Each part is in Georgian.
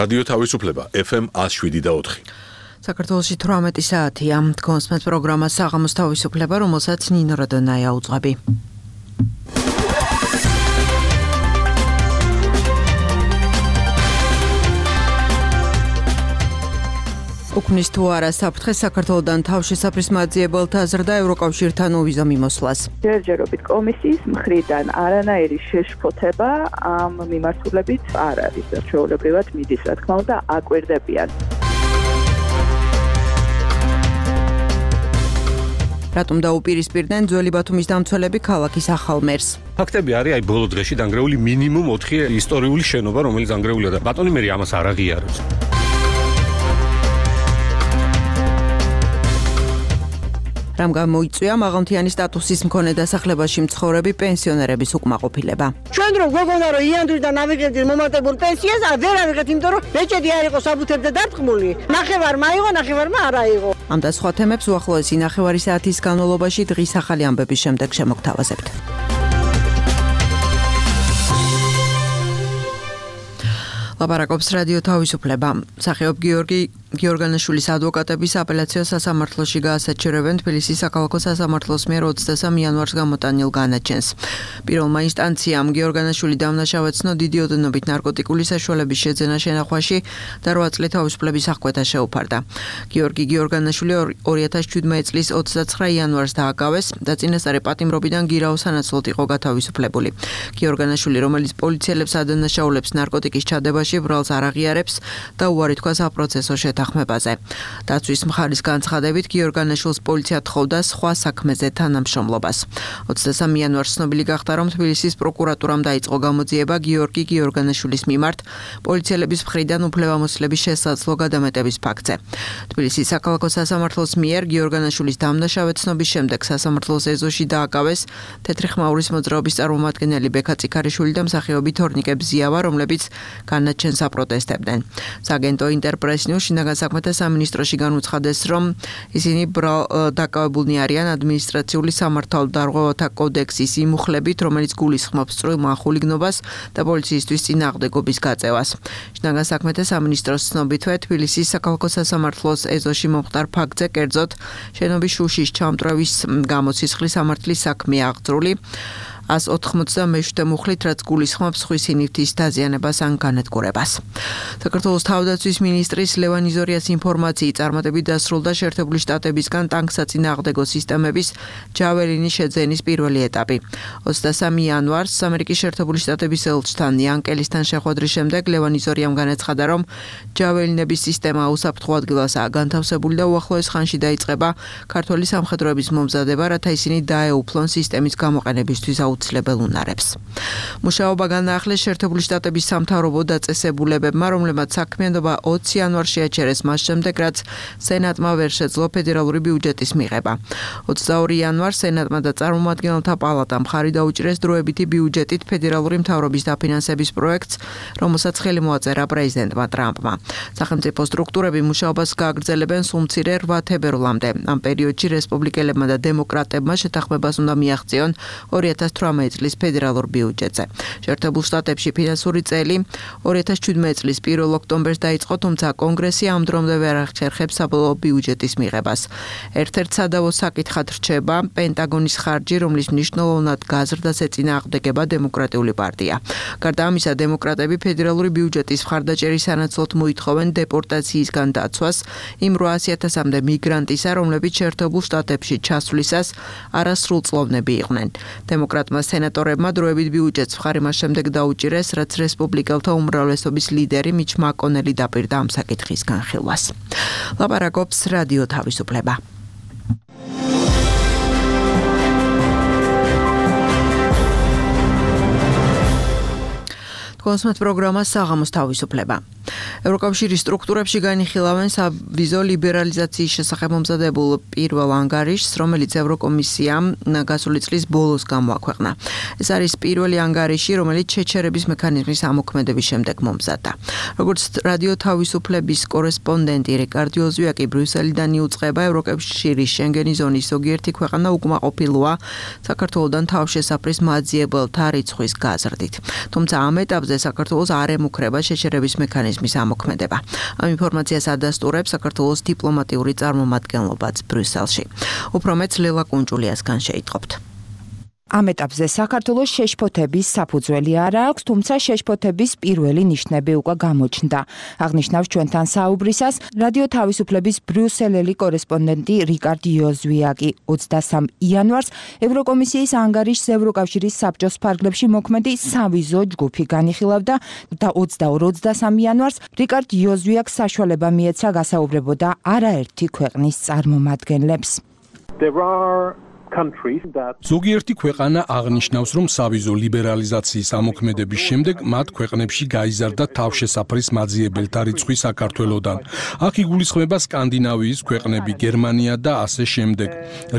რადიო თავისუფლება FM 107.4. საქართველოში 18 საათია. კონსმეთ პროგრამა საღამოს თავისუფლება, რომელსაც ნინო რადონაია უძღვები. უქმნის თუ არა საფრთხე საქართველოდან თავშესაფრის მაძიებელთა აზრდა ევროკავშირთან უვიზო მიმოსვლას. ჯერჯერობით კომისიის მხრიდან არანაირი შეშფოთება ამ მიმართულებით არ არის. ჩვეულებრივად მიდის, რა თქმა უნდა, აკვირდებიან. რატომ დაუპირისპირდნენ ძველი ბათუმის დამცველები ქალაქის ახალ მერს? ფაქტები არის, ბოლო დღეში დანგრეული მინიმუმ 4 ისტორიული შენობა, რომელიც დანგრეულია და ბატონი მერი ამას არ აღიარებს. რამ გამოიწვია მაღალმთიანი სტატუსის მქონე დასახლებაში მცხოვრები პენსიონერების უკმაყოფილება. ჩვენ რო გოგონა რო იანდრის და ნავიგებდის მომატებულ პენსიას ვერ ავიღეთ, იმიტომ რომ ბეჭედი არ იყო საბუთებზე დარტყმული. ნახევარ მაიღო, ნახევარმა არ აიღო. ამ და სხვა თემებს უახლოესი ნახევარი საათის განმავლობაში დღის ახალი ამბების შემდეგ შემოგთავაზებთ. ლაპარაკობს რადიო თავისუფლება. მსახიობ გიორგი გიორგანაშვილის ადვოკატების აპელაციო სასამართლოში გაასაჩერებენ თბილისის საქალაქო სასამართლოს მიერ 23 იანვარს გამოტანილ განაჩენს. პირველმა ინსტანციამ გიორგანაშვილი დამნაშავედ ცნო დიდი ოდენობით ნარკოტიკული საშუალების შეძენა შენახვაში და 8 წლის თავისუფლების აღკვეთა შეუფარდა. გიორგი გიორგანაშვილი 2017 წლის 29 იანვარს დააკავეს და წინასწარი პატიმრობიდან გირაოს სანაცვლოდ იყო გათავისუფლებული. გიორგანაშვილი, რომელიც პოლიციელებს ადანაშაულებს ნარკოტიკის ჩადებაში ბრალს არ აღიარებს და უარი თქვა საპროცესო შეთანხმებაზე. დაცვის მხარის განცხადებით გიორგანაშვილს პოლიცია თხოვდა სხვა საქმეზე თანამშრომლობას. 23 იანვარს ცნობილი გახდა, რომ თბილისის პროკურატურამ დაიწყო გამოძიება გიორგი გიორგანაშვილის მიმართ პოლიციელების მხრიდან უფლებამოსილების შესაძლო გადამეტების ფაქტზე. თბილისის საქალაქო სასამართლოს მიერ გიორგანაშვილის დამნაშავედ ცნობის შემდეგ სასამართლოს ეზოში დააკავეს თეთრი ხმაურის მოძრაობის წარმომადგენელი ბექა წიქარიშვილი და მსახიობი თორნიკე ბზიავა, რომლებიც განაჩენს აპროტესტებდნენ. სააგენტო ინტერპრეს-ნიუს შინაგან საქმეთა სამინისტროში განუცხადეს, რომ ისინი დაკავებულნი არიან ადმინისტრაციული სამართალდარღვევათა კოდექსის იმუხლებით, რომელიც გულისხმობს წვრილ ხულიგნობას და პოლიციისთვის წინააღმდეგობის გაწევას. შინაგან საქმეთა სამინისტროს ცნობითვე თბილისის საქალაქო სასამართლოს ეზოში მომხდარ ფაქტზე, კერძოდ შენობის შუშის ჩამტვრევის გამოცისხლის სამართლის საქმეა აღძრული 187 მუხლით, რაც გულისხმობს ხვის ინივთის დაზიანებას ან განადგურებას. საქართველოს თავდაცვის მინისტრის ლევან იზორიას ინფორმაციით წარმატებით დასრულდა შეერთებული შტატებისგან ტანკსაწინააღმდეგო სისტემების ჯაველინის შეძენის პირველი ეტაპი. 23 იანვარს ამერიკის შეერთებული შტატების ელჩთან იანკელისთან შეხვედრის შემდეგ ლევან იზორიამ განაცხადა, რომ ჯაველინების სისტემა უსაფრთხო ადგილასაა განთავსებული და უახლოეს ხანში დაიწყება ქართველი სამხედროების მომზადება, რათა ისინი დაეუფლონ სისტემის გამოყენებისთვის აუცილებელ უნარებს. მუშაობა განაახლეს შეერთებული შტატების სამთავრობო დაწესებულებებმა, რომლებმაც საქმიანობა 20 იანვარს შეაჩერეს მას შემდეგ, რაც სენატმა ვერ შეძლო ფედერალური ბიუჯეტის მიღება. 22 იანვარს სენატმა და წარმომადგენელთა პალატამ მხარი დაუჭირეს დროებითი ბიუჯეტით ფედერალური მთავრობის დაფინანსების პროექტს, რომელსაც ხელი მოაწერა პრეზიდენტმა ტრამპმა. სახელმწიფო სტრუქტურები მუშაობას გააგრძელებენ სულ მცირე 8 თებერვლამდე. ამ პერიოდში რესპუბლიკელებმა და დემოკრატებმა შეთანხმებას უნდა მიაღწიონ 2018 წლის ფედერალურ ბიუჯეტზე. შეერთებულ შტატებში ფინანსური წელი 2017 წლის 1 ოქტომბერს დაიწყო, თუმცა კონგრესი ამ დრომდე ვერ ახერხებს საბოლოო ბიუჯეტის მიღებას. ერთ-ერთ სადავო საკითხად რჩება პენტაგონის ხარჯი, რომლის მნიშვნელოვნად გაზრდას ეწინააღმდეგება დემოკრატიული პარტია. გარდა ამისა, დემოკრატები ფედერალური ბიუჯეტის მხარდაჭერის სანაცვლოდ მოითხოვენ დეპორტაციისგან დაცვას იმ 800,000-მდე მიგრანტისა, რომლებიც შეერთებულ შტატებში ჩასვლისას არასრულწლოვნები იყვნენ. დემოკრატმა სენატორებმა დროებით ბიუჯეტს მხარი მას შემდეგ დაუჭირეს, რაც რესპუბლიკელთა უმრავლესობის ლიდერი მიჩ მაკონელი დაპირდა ამ საკითხის განხილვას. ლაპარაკობს რადიო თავისუფლება. კონსმეთ პროგრამა საღამოს თავისუფლება. ევროკავშირის სტრუქტურებში განიხილავენ სავიზო ლიბერალიზაციის შესახებ მომზადებულ პირველ ანგარიშს, რომელიც ევროკომისიამ გასული წლის ბოლოს გამოაქვეყნა. ეს არის პირველი ანგარიში, რომელიც შეჩერების მექანიზმის ამოქმედების შემდეგ მომზადდა. როგორც რადიო თავისუფლების კორესპონდენტი რიკარდ ოზვიაკი ბრიუსელიდან იუწყება, ევროკავშირის შენგენის ზონის ზოგიერთი ქვეყანა უკმაყოფილოა საქართველოდან თავშესაფრის მაძიებელთა რიცხვის გაზრდით. თუმცა ამ ეტაპზე საქართველოს არ ემუქრება შეჩერების მექანიზმის ამოქმედება. ზემოქმედება. Ამ ინფორმაციას ადასტურებს საქართველოს დიპლომატიური წარმომადგენლობაც ბრიუსელში. უფრო მეტ ლელა კუნჭულიასგან შეიტყობთ. ამ ეტაპზე საქართველოს შეშფოთების საფუძველი არ აქვს, თუმცა შეშფოთების პირველი ნიშნები უკვე გამოჩნდა. აღნიშნავს ჩვენთან საუბრისას რადიო თავისუფლების ბრიუსელელი კორესპონდენტი რიკარდ იოზვიაკი. 23 იანვარს ევროკომისიის ანგარიშს ევროკავშირის საბჭოს ფარგლებში მოქმედი სავიზო ჯგუფი განიხილავდა და 22-23 იანვარს რიკარდ იოზვიაკს საშუალება მიეცა გასაუბრებოდა არაერთი ქვეყნის წარმომადგენლებს. ზოგიერთი ქვეყანა აღნიშნავს, რომ სავიზო ლიბერალიზაციის ამოქმედების შემდეგ მათ ქვეყნებში გაიზარდა თავშესაფრის მაძიებელთა რიცხვი საქართველოდან. აქ იგულისხმება სკანდინავიის ქვეყნები, გერმანია და ასე შემდეგ.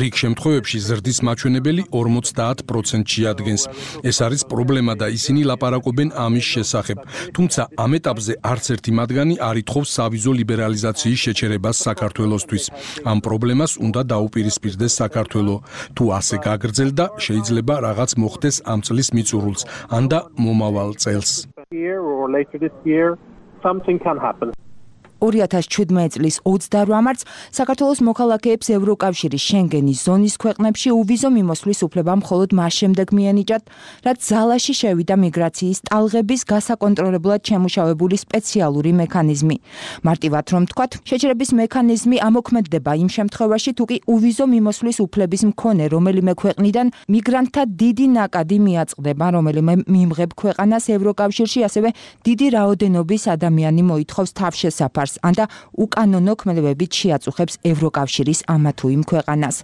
რიგ შემთხვევებში ზრდის მაჩვენებელი 50%-ში ადგენს. ეს არის პრობლემა და ისინი ლაპარაკობენ ამის შესახებ. თუმცა ამ ეტაპზე არც ერთი მათგანი არ ითხოვს სავიზო ლიბერალიზაციის შეჩერებას საქართველოსთვის. ამ პრობლემას უნდა დაუპირისპირდეს საქართველო. თუ ასე გაგრძელდა, შეიძლება რაღაც მოხდეს ამ წლის მიწურულს, ან და მომავალ წელს. 2017 წლის 28 მარტს საქართველოს მოქალაქეებს ევროკავშირის შენგენის ზონის ქვეყნებში უვიზო მიმოსვლის უფლება მხოლოდ მას შემდეგ მიენიჭათ, რაც ზალაში შევიდა მიგრაციის ტალღების გასაკონტროლებლად შემუშავებული სპეციალური მექანიზმი. მარტივად რომ ვთქვათ, შეჩერების მექანიზმი ამოქმედდება იმ შემთხვევაში, თუ კი უვიზო მიმოსვლის უფლების მქონე რომელიმე ქვეყნიდან მიგრანტთა დიდი ნაკადი მიაწყდება, რომელიმე მიმღებ ქვეყანას ევროკავშირში ასევე დიდი რაოდენობის ადამიანი მოითხოვს თავშესაფარს. ანდა უკანონო ქმედებებით შეაწუხებს ევროკავშირის ამა თუ იმ ქვეყანას.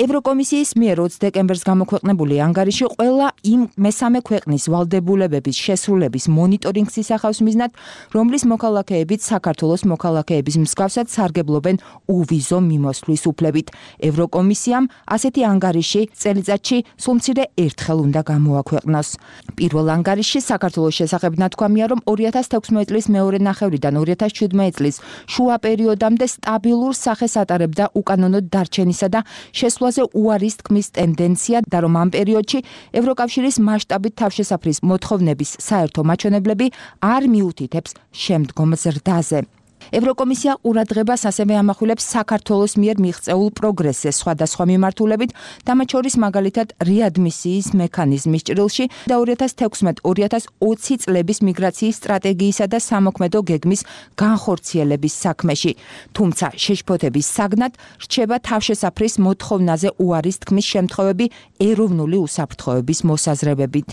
ევროკომისიის მიერ 20 დეკემბერს გამოქვეყნებული ანგარიში ყველა იმ მესამე ქვეყნის ვალდებულებების შესრულების მონიტორინგს ისახავს მიზნად, რომლის მოქალაქეებიც საქართველოს მოქალაქეების მსგავსად სარგებლობენ უვიზო მიმოსვლის უფლებით. ევროკომისიამ ასეთი ანგარიში წელიწადში სულ მცირე ერთხელ უნდა გამოაქვეყნოს. პირველ ანგარიშში საქართველოს შესახებ ნათქვამია, რომ 2016 წლის მეორე ნახევრიდან 2017 წლის შუა პერიოდამდე სტაბილურ სახეს ატარებდა უკანონოდ დარჩენისა და შესვლაზე უარის თქმის ტენდენცია და რომ ამ პერიოდში ევროკავშირის მასშტაბით თავშესაფრის მოთხოვნების საერთო მაჩვენებლები არ მიუთითებს შემდგომ ზრდაზე. ევროკომისია ყურადღებას ასევე ამახვილებს საქართველოს მიერ მიღწეულ პროგრესზე სხვადასხვა მიმართულებით, მათ შორის მაგალითად რეადმისიის მექანიზმის ჭრილში და 2016-2020 წლების მიგრაციის სტრატეგიისა და სამოქმედო გეგმის განხორციელების საქმეში. თუმცა შეშფოთების საგნად რჩება თავშესაფრის მოთხოვნაზე უარის თქმის შემთხვევები ეროვნული უსაფრთხოების მოსაზრებებით.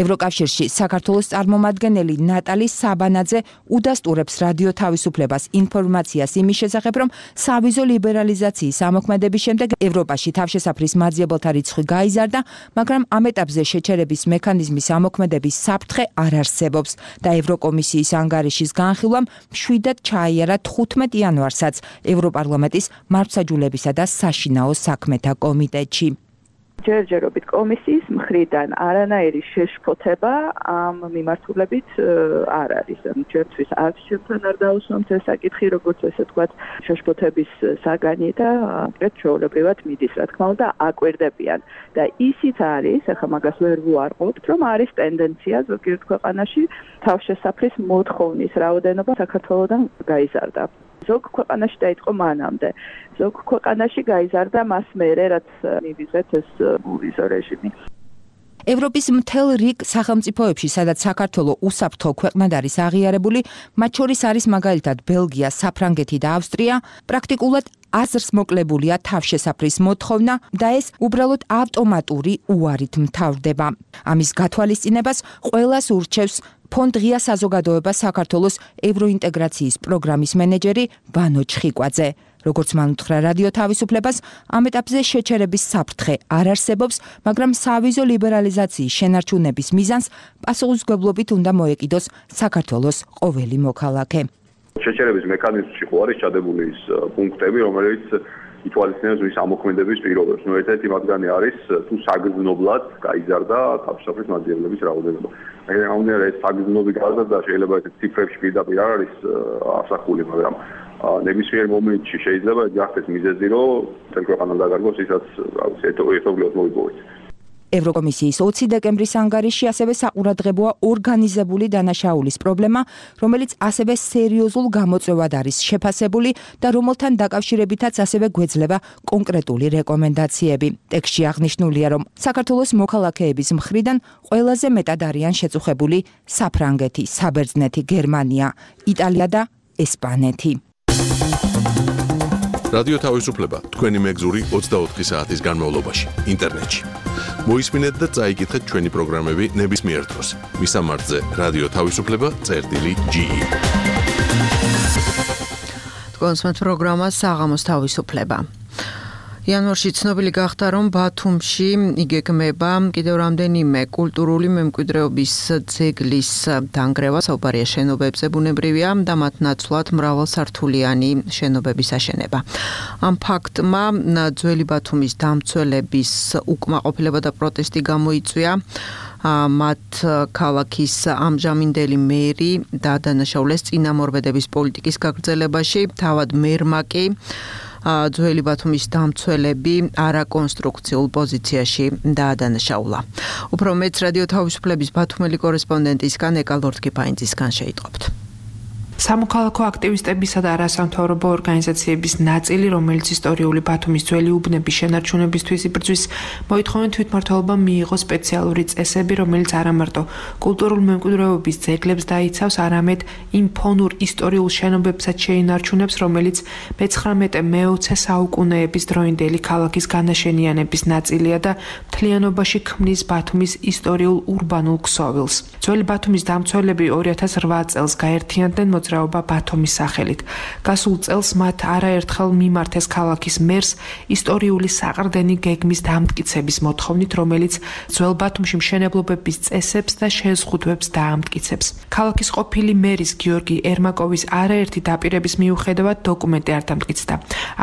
ევროკავშირში საქართველოს წარმომადგენელი ნატალი საბანაძე udasturებს რადიო თავისუფლებას ინფორმაციას იმის შესახებ, რომ სავიზო ლიბერალიზაციის ამოქმედების შემდეგ ევროპაში თავშესაფრის მაძიებელთა რიცხვი გაიზარდა, მაგრამ ამ ეტაპზე შეჩერების მექანიზმის ამოქმედების საფრთხე არ არსებობს და ევროკომისიის ანგარიშის განხილვამ მშვიდად ჩაიარა 15 იანვარსაც ევროპარლამენტის მართლმსაჯულებისა და საშინაო საქმეთა კომიტეტში. ჯერჯერობით კომისიის მხრიდან არანაირი შეშფოთება ამ მიმართულებით არ არის. ჩვენთვის არც ჩვენთან არ დაუსვამთ ეს საკითხი, როგორც ესე ვთქვათ, შეშფოთების საგანი და ამით ჩვეულებრივად მიდის, რა თქმა უნდა, აკვირდებიან. და ისიც არის, ახლა მაგას ვერ ვუარყოფთ, რომ არის ტენდენცია ზოგიერთ ქვეყანაში თავშესაფრის მოთხოვნის რაოდენობა საქართველოდან გაიზარდა. ზოგ ქვეყანაში დაიწყო მანამდე. ზოგ ქვეყანაში გაიზარდა მას მერე, რაც მივიღეთ ეს უვიზო რეჟიმი. ევროპის მთელ რიგ სახელმწიფოებში, სადაც საქართველოს უსაფრთხო ქვეყნად არის აღიარებული, მათ შორის არის მაგალითად ბელგია, საფრანგეთი და ავსტრია, პრაქტიკულად აზრს მოკლებულია თავშესაფრის მოთხოვნა და ეს უბრალოდ ავტომატური უარით მთავრდება. ამის გათვალისწინებას ყველას ურჩევს ფონდ ღია საზოგადოება საქართველოს ევროინტეგრაციის პროგრამის მენეჯერი ვანო ჩხიკვაძე. როგორც მან უთხრა რადიო თავისუფლებას, ამ ეტაპზე შეჩერების საფრთხე არ არსებობს, მაგრამ სავიზო ლიბერალიზაციის შენარჩუნების მიზანს პასუხისმგებლობით უნდა მოეკიდოს საქართველოს ყოველი მოქალაქე. შეჩერების მექანიზმში ხო არის ჩადებული ის პუნქტები, რომელიც ითვალისწინებს ვის ამოქმედების პირობებს. ერთ-ერთი მათგანი არის თუ საგრძნობლად გაიზარდა თავშესაფრის მაძიებლების რაოდენობა. ამგვარად ეს საგრძნობი გაზრდა შეიძლება ეს ციფრებში პირდაპირ არ არის ასახული, მაგრამ ნებისმიერ მომენტში შეიძლება გახდეს მიზეზი, რომ ქვეყანა დაგარგოს, ისაც ერთობლივად მოიპოვეთ. ევროკომისიის 20 დეკემბრის ანგარიშში ასევე საყურადღებოა ორგანიზებული დანაშაულის პრობლემა, რომელიც ასევე სერიოზულ გამოწვევად არის შეფასებული და რომელთან დაკავშირებითაც ასევე გვეძლება კონკრეტული რეკომენდაციები. ტექსტში აღნიშნულია, რომ საქართველოს მოქალაქეების მხრიდან ყველაზე მეტად არიან შეწუხებული საფრანგეთი, საბერძნეთი, გერმანია, იტალია და ესპანეთი. რადიო თავისუფლება თქვენი მეგზური 24 საათის განმავლობაში ინტერნეტში. მოისმინეთ და წაიკითხეთ ჩვენი პროგრამები ნებისმიერ დროს. მისამართზე რადიო თავისუფლება.ge. თქვენს პროგრამას საღამოს თავისუფლება. იანვარში ცნობილი გახდა, რომ ბათუმში იგეგმება კიდევ რამდენიმე კულტურული მემკვიდრეობის ძეგლის დანგრევა, საუბარია შენობებზე, ბუნებრივია და მათ ნაცვლად მრავალსართულიანი შენობების აშენება. ამ ფაქტმა ძველი ბათუმის დამცველების უკმაყოფილება და პროტესტი გამოიწვია. მათ ქალაქის ამჟამინდელი მერი დაადანაშაულეს წინამორბედების პოლიტიკის გაგრძელებაში, თავად მერმა კი ძველი ბათუმის დამცველები არაკონსტრუქციულ პოზიციაში დაადანაშაულა. უფრო მეც რადიო თავისუფლების ბათუმელი კორესპონდენტისგან ეკა ლორდ-კიფაინძისგან შეიტყობთ. სამოქალაქო აქტივისტებისა და არასამთავრობო ორგანიზაციების ნაწილი, რომელიც ისტორიული ბათუმის ძველი უბნების შენარჩუნებისთვის იბრძვის, მოითხოვენ თვითმმართველობამ მიიღოს სპეციალური წესები, რომელიც არა მარტო კულტურულ მემკვიდრეობის ძეგლებს დაიცავს, არამედ იმ ფონურ ისტორიულ შენობებსაც შეინარჩუნებს, რომელიც მე-19 საუკუნეების დროინდელი ქალაქის განაშენიანების ნაწილია და მთლიანობაში ქმნის ბათუმის ისტორიულ ურბანულ ქსოვილს. ძველი ბათუმის დამცველები 2008 წელს გაერთიანდნენ მოძრაობა ბათუმის სახელით. გასულ წელს მათ არაერთხელ მიმართეს ქალაქის მერს ისტორიული საყრდენი გეგმის დამტკიცების მოთხოვნით, რომელიც ძველ ბათუმში მშენებლობების წესებს და შეზღუდვებს დაამტკიცებს. ქალაქის ყოფილი მერის გიორგი ერმაკოვის არაერთი დაპირების მიუხედავად დოკუმენტი არ დამტკიცდა.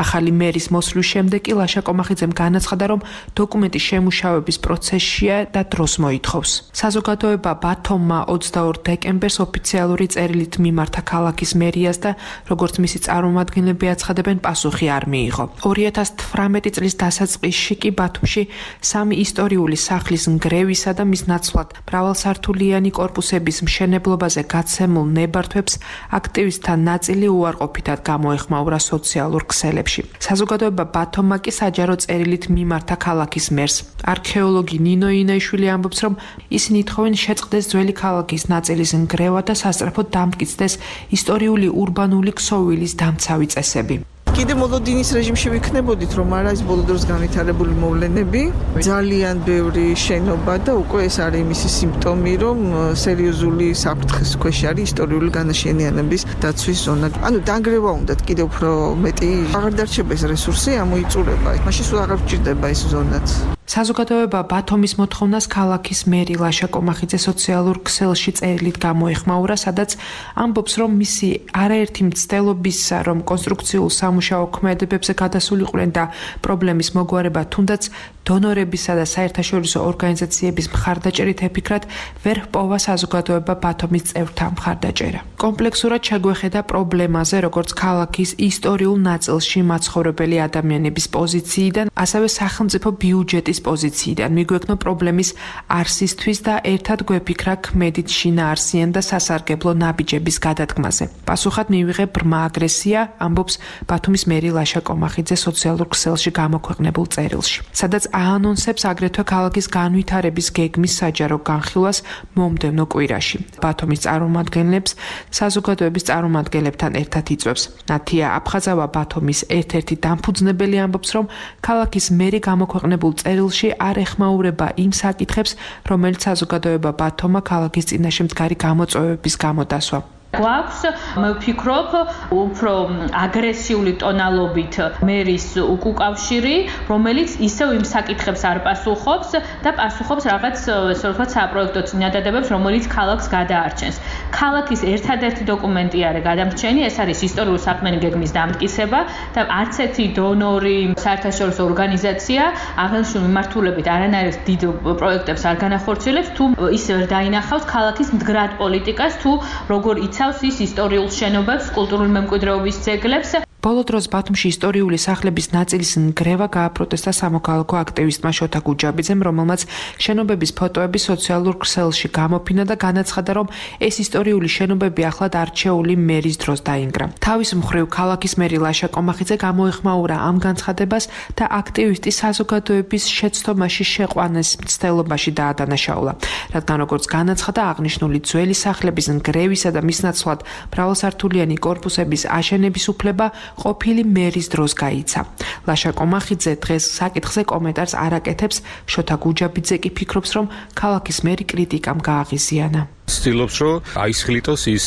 ახალი მერის მოსვლის შემდეგ კი ლაშა კომახიძემ განაცხადა, რომ დოკუმენტი შემუშავების პროცესშია და დროს მოითხოვს. საზოგადოება ბათუმმა 22 დეკემბერს ოფიციალური წერილით მიმართა ქალაქის მერიას და როგორც მისი წარმომადგენლები აცხადებენ, პასუხი არ მიიღო. 2018 წლის დასაწყისში კი ბათუმში 3 ისტორიული სახლის ნგრევისა და მის ნაცვლად მრავალსართულიანი კორპუსების მშენებლობაზე გაცემულ ნებართვებს აქტივისტთა ნაწილი უარყოფითად გამოეხმაურა სოციალურ ქსელებში. საზოგადოება ბათუმმა კი საჯარო წერილით მიმართა ქალაქის მერს. არქეოლოგი ნინო ინაიშვილი ამბობს, რომ ისინი ითხოვენ შეწყდეს ძველი ქალაქის ნაწილის ნგრევა და სასწრაფოდ დამტკიცდეს ისტორიული ურბანული ქსოვილის დამცავი წესები. კიდე მოლოდინის რეჟიმში ვიქნებოდით, რომ არა ის ბოლო დროს განვითარებული მოვლენები, ძალიან ბევრი შენობა და უკვე ეს არის მისი სიმპტომი, რომ სერიოზული საფრთხის ქვეშ არის ისტორიული განაშენიანების დაცვის ზონა. ანუ დანგრევა უნდათ კიდევ უფრო მეტი, აღარ დარჩება ეს რესურსი, ამოიწურება. მაშინ სულ აღარ გჭირდება ეს ზონაც. საზოგადოება ბათუმის მოთხოვნას ქალაქის მერი ლაშა კომახიძე სოციალურ ქსელში წერილით გამოეხმაურა, სადაც ამბობს, რომ მისი არაერთი მცდელობისა, რომ კონსტრუქციულ სამუშაო ქმედებებზე გადასულიყვნენ და პრობლემის მოგვარება თუნდაც დონორებისა და საერთაშორისო ორგანიზაციების მხარდაჭერით ეფიქრათ, ვერ ჰპოვა საზოგადოება ბათუმის წევრთა მხარდაჭერა. კომპლექსურად შეგვეხედა პრობლემაზე, როგორც ქალაქის ისტორიულ ნაწილში მაცხოვრებელი ადამიანების პოზიციიდან, ასევე სახელმწიფო ბიუჯეტის პოზიციიდან. მიგვექნო პრობლემის არსისთვის და ერთად გვეფიქრა ქმედით შინაარსიან და სასარგებლო ნაბიჯების გადადგმაზე. პასუხად მივიღე ბრმა აგრესია, ამბობს ბათუმის მერი ლაშა კომახიძე სოციალურ ქსელში გამოქვეყნებულ წერილში, სადაც აანონსებს აგრეთვე ქალაქის განვითარების გეგმის საჯარო განხილვას მომდევნო კვირაში. ბათუმის წარმომადგენლებს საზოგადოების წარმომადგენლებთან ერთად იწვევს. ნათია აფხაზავა ბათუმის ერთ-ერთი დამფუძნებელი ამბობს, რომ ქალაქის მერი გამოქვეყნებულ წერილში არ ეხმაურება იმ საკითხებს, რომელიც საზოგადოება ბათუმმა ქალაქის წინაშე მდგარი გამოწვევების გამო დასვა. გვაქვს, მე ვფიქრობ, უფრო აგრესიული ტონალობით მერის უკავშირი, რომელიც ისევ იმ საკითხებს არ პასუხობს და პასუხობს რაღაც, ესე ვთქვათ, საპროექტო წინადადებებს, რომელიც ქალაქს გადაარჩენს. ქალაქის ერთადერთი დოკუმენტი არის გადამრჩენი, ეს არის ისტორიული საქმიანი გეგმის დამტკიცება და არც ერთი დონორი, საერთაშორისო ორგანიზაცია აღნიშნულ მიმართულებით არანაირ დიდ პროექტებს არ განახორციელებს, თუ ის ვერ დაინახავს ქალაქის მდგრად პოლიტიკას, თუ როგორ იცავს ის ისტორიულ შენობებს, კულტურული მემკვიდრეობის ძეგლებს. ბოლო დროს ბათუმში ისტორიული სახლების ნაწილის ნგრევა გააპროტესტა სამოქალაქო აქტივისტმა შოთა გუჯაბიძემ, რომელმაც შენობების ფოტოები სოციალურ ქსელში გამოფინა და განაცხადა, რომ ეს ისტორიული შენობები ახლად არჩეული მერის დროს დაინგრა. თავის მხრივ ქალაქის მერი ლაშა კომახიძე გამოეხმაურა ამ განცხადებას და აქტივისტის საზოგადოების შეცდომაში შეყვანეს მცდელობაში დაადანაშაულა. რადგან როგორც განაცხადა, აღნიშნული ძველი სახლების ნგრევისა და მის ნაცვლად მრავალსართულიანი კორპუსების აშენების უფლება ყოფილი მერის დროს გაიცა. ლაშა კომახიძე დღეს საკითხზე კომენტარს არ აკეთებს, შოთა გუჯაბიძე კი ფიქრობს, რომ ქალაქის მერი კრიტიკამ გააღიზიანა. ცდილობს, რომ აისხლიტოს ის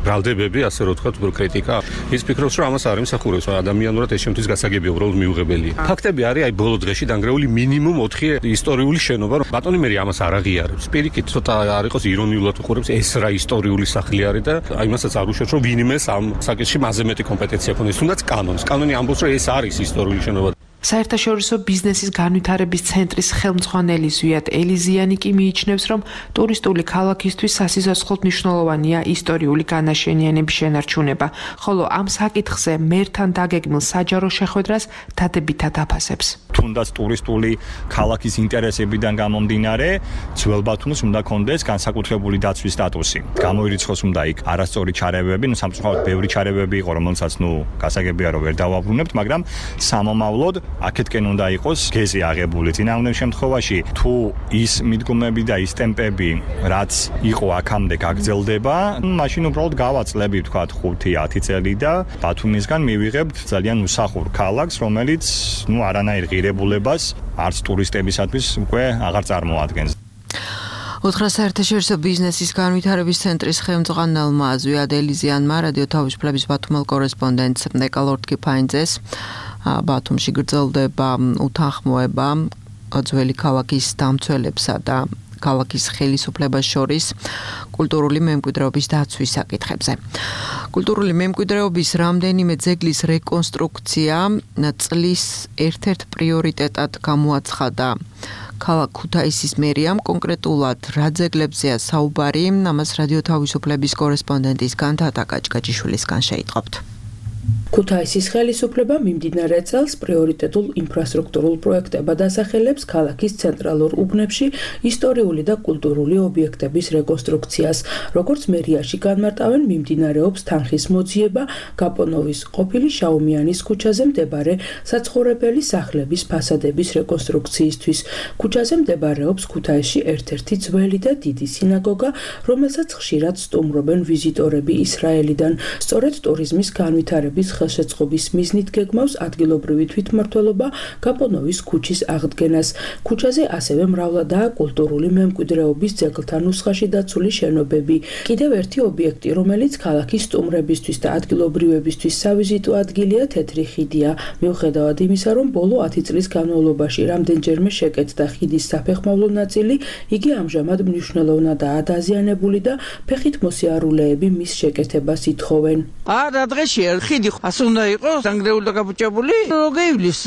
ბრალდებები, ასე რომ ვთქვათ, კრიტიკა. ის ფიქრობს, რომ ამას არ ემსახურებს, ადამიანურად ეს შემთხვევის გასაგებია, უბრალოდ მიუღებელია. ფაქტები არის, აი ბოლო დღეში დანგრეული მინიმუმ 4 ისტორიული შენობა, რომ ბატონი მერი ამას არ აღიარებს. პირიქით, ცოტა არ იყოს ირონიულად უყურებს, ეს რა ისტორიული სახლი არის და აი მასაც არ უშევს, რომ ვინმეს ამ საკითხში მასზე მეტი კომპეტენცია ქონდეს, თუნდაც კანონს. კანონი ამბობს, რომ ეს არის ისტორიული შენობა. საერთაშორისო ბიზნესის განვითარების ცენტრის ხელმძღვანელი ზვიად ელიზიანი კი მიიჩნევს, რომ ტურისტული ქალაქისთვის სასიცოცხლოდ მნიშვნელოვანია ისტორიული განაშენიანების შენარჩუნება, ხოლო ამ საკითხზე მერთან დაგეგმილ საჯარო შეხვედრას დადებითად აფასებს. თუნდაც ტურისტული ქალაქის ინტერესებიდან გამომდინარე, ძველ ბათუმს უნდა კონდეს განსაკუთრებული დაცვის სტატუსი. გამოირიცხოს უნდა იქ არასწორი ჩარევები, სამწუხაროდ ბევრი ჩარევები იყო, რომელსაც გასაგებია რომ ვერ დავაბრუნებთ, მაგრამ სამომავლოდ აქეთკენ უნდა იყოს გეზი აღებული. წინააღმდეგ შემთხვევაში თუ ის მიდგომები და ის ტემპები, რაც იყო აქამდე გაგრძელდება, მაშინ უბრალოდ გავაწლები თქვა 5-10 წელი და ბათუმისგან მივიღებთ ძალიან უსახურ ქალაქს, რომელიც არანაირ ღირებულებას არც ტურისტებისათვის უკვე აღარ წარმოადგენს. უთხრა საერთაშორისო ბიზნესის განვითარების ცენტრის ხელმძღვანელმა ზვიად ელიზიანმა რადიო თავისუფლების ბათუმელ კორესპონდენტს ნეკალორდ კიფაინძეს ბათუმში გრძელდება უთანხმოება ძველი ქალაქის დამცველებსა და ქალაქის ხელისუფლებას შორის კულტურული მემკვიდრეობის დაცვის საკითხებზე. კულტურული მემკვიდრეობის რამდენიმე ძეგლის რეკონსტრუქცია წლის ერთ-ერთ პრიორიტეტად გამოაცხადა ქალაქ ქუთაისის მერიამ. კონკრეტულად რა ძეგლებზეა საუბარი, ამას რადიო თავისუფლების კორესპონდენტის განთათა კაჭკაჭიშვილისგან შეიტყობთ. ქუთაისის ხელისუფლება მიმდინარე წელს პრიორიტეტულ ინფრასტრუქტურულ პროექტებად ასახელებს ქალაქის ცენტრალურ უბნებში ისტორიული და კულტურული ობიექტების რეკონსტრუქციას. როგორც მერიაში განმარტავენ, მიმდინარეობს თანხის მოძიება გაპონოვის ყოფილი შაუმიანის ქუჩაზე მდებარე საცხოვრებელი სახლების ფასადების რეკონსტრუქციისთვის. ქუჩაზე მდებარეობს ქუთაისში ერთ-ერთი ძველი და დიდი სინაგოგა, რომელსაც ხშირად სტუმრობენ ვიზიტორები ისრაელიდან. სწორედ ტურიზმის განვითარების ხელშეწყობის მიზნით გეგმავს ადგილობრივი თვითმმართველობა გაპონოვის ქუჩის აღდგენას. ქუჩაზე ასევე მრავლადაა კულტურული მემკვიდრეობის ძეგლთა ნუსხაში დაცული შენობები. კიდევ ერთი ობიექტი, რომელიც ქალაქის სტუმრებისთვის და ადგილობრივებისთვის სავიზიტო ადგილია, თეთრი ხიდია. მიუხედავად იმისა, რომ ბოლო 10 წლის განმავლობაში რამდენჯერმე შეკეთდა ხიდის საფეხმავლო ნაწილი, იგი ამჟამად მნიშვნელოვნადაა დაზიანებული და ფეხით მოსიარულეები მის შეკეთებას ითხოვენ. არა დღეში ხიდი ასე უნდა იყოს დანგრეული და გაბუჭებული, გეივლის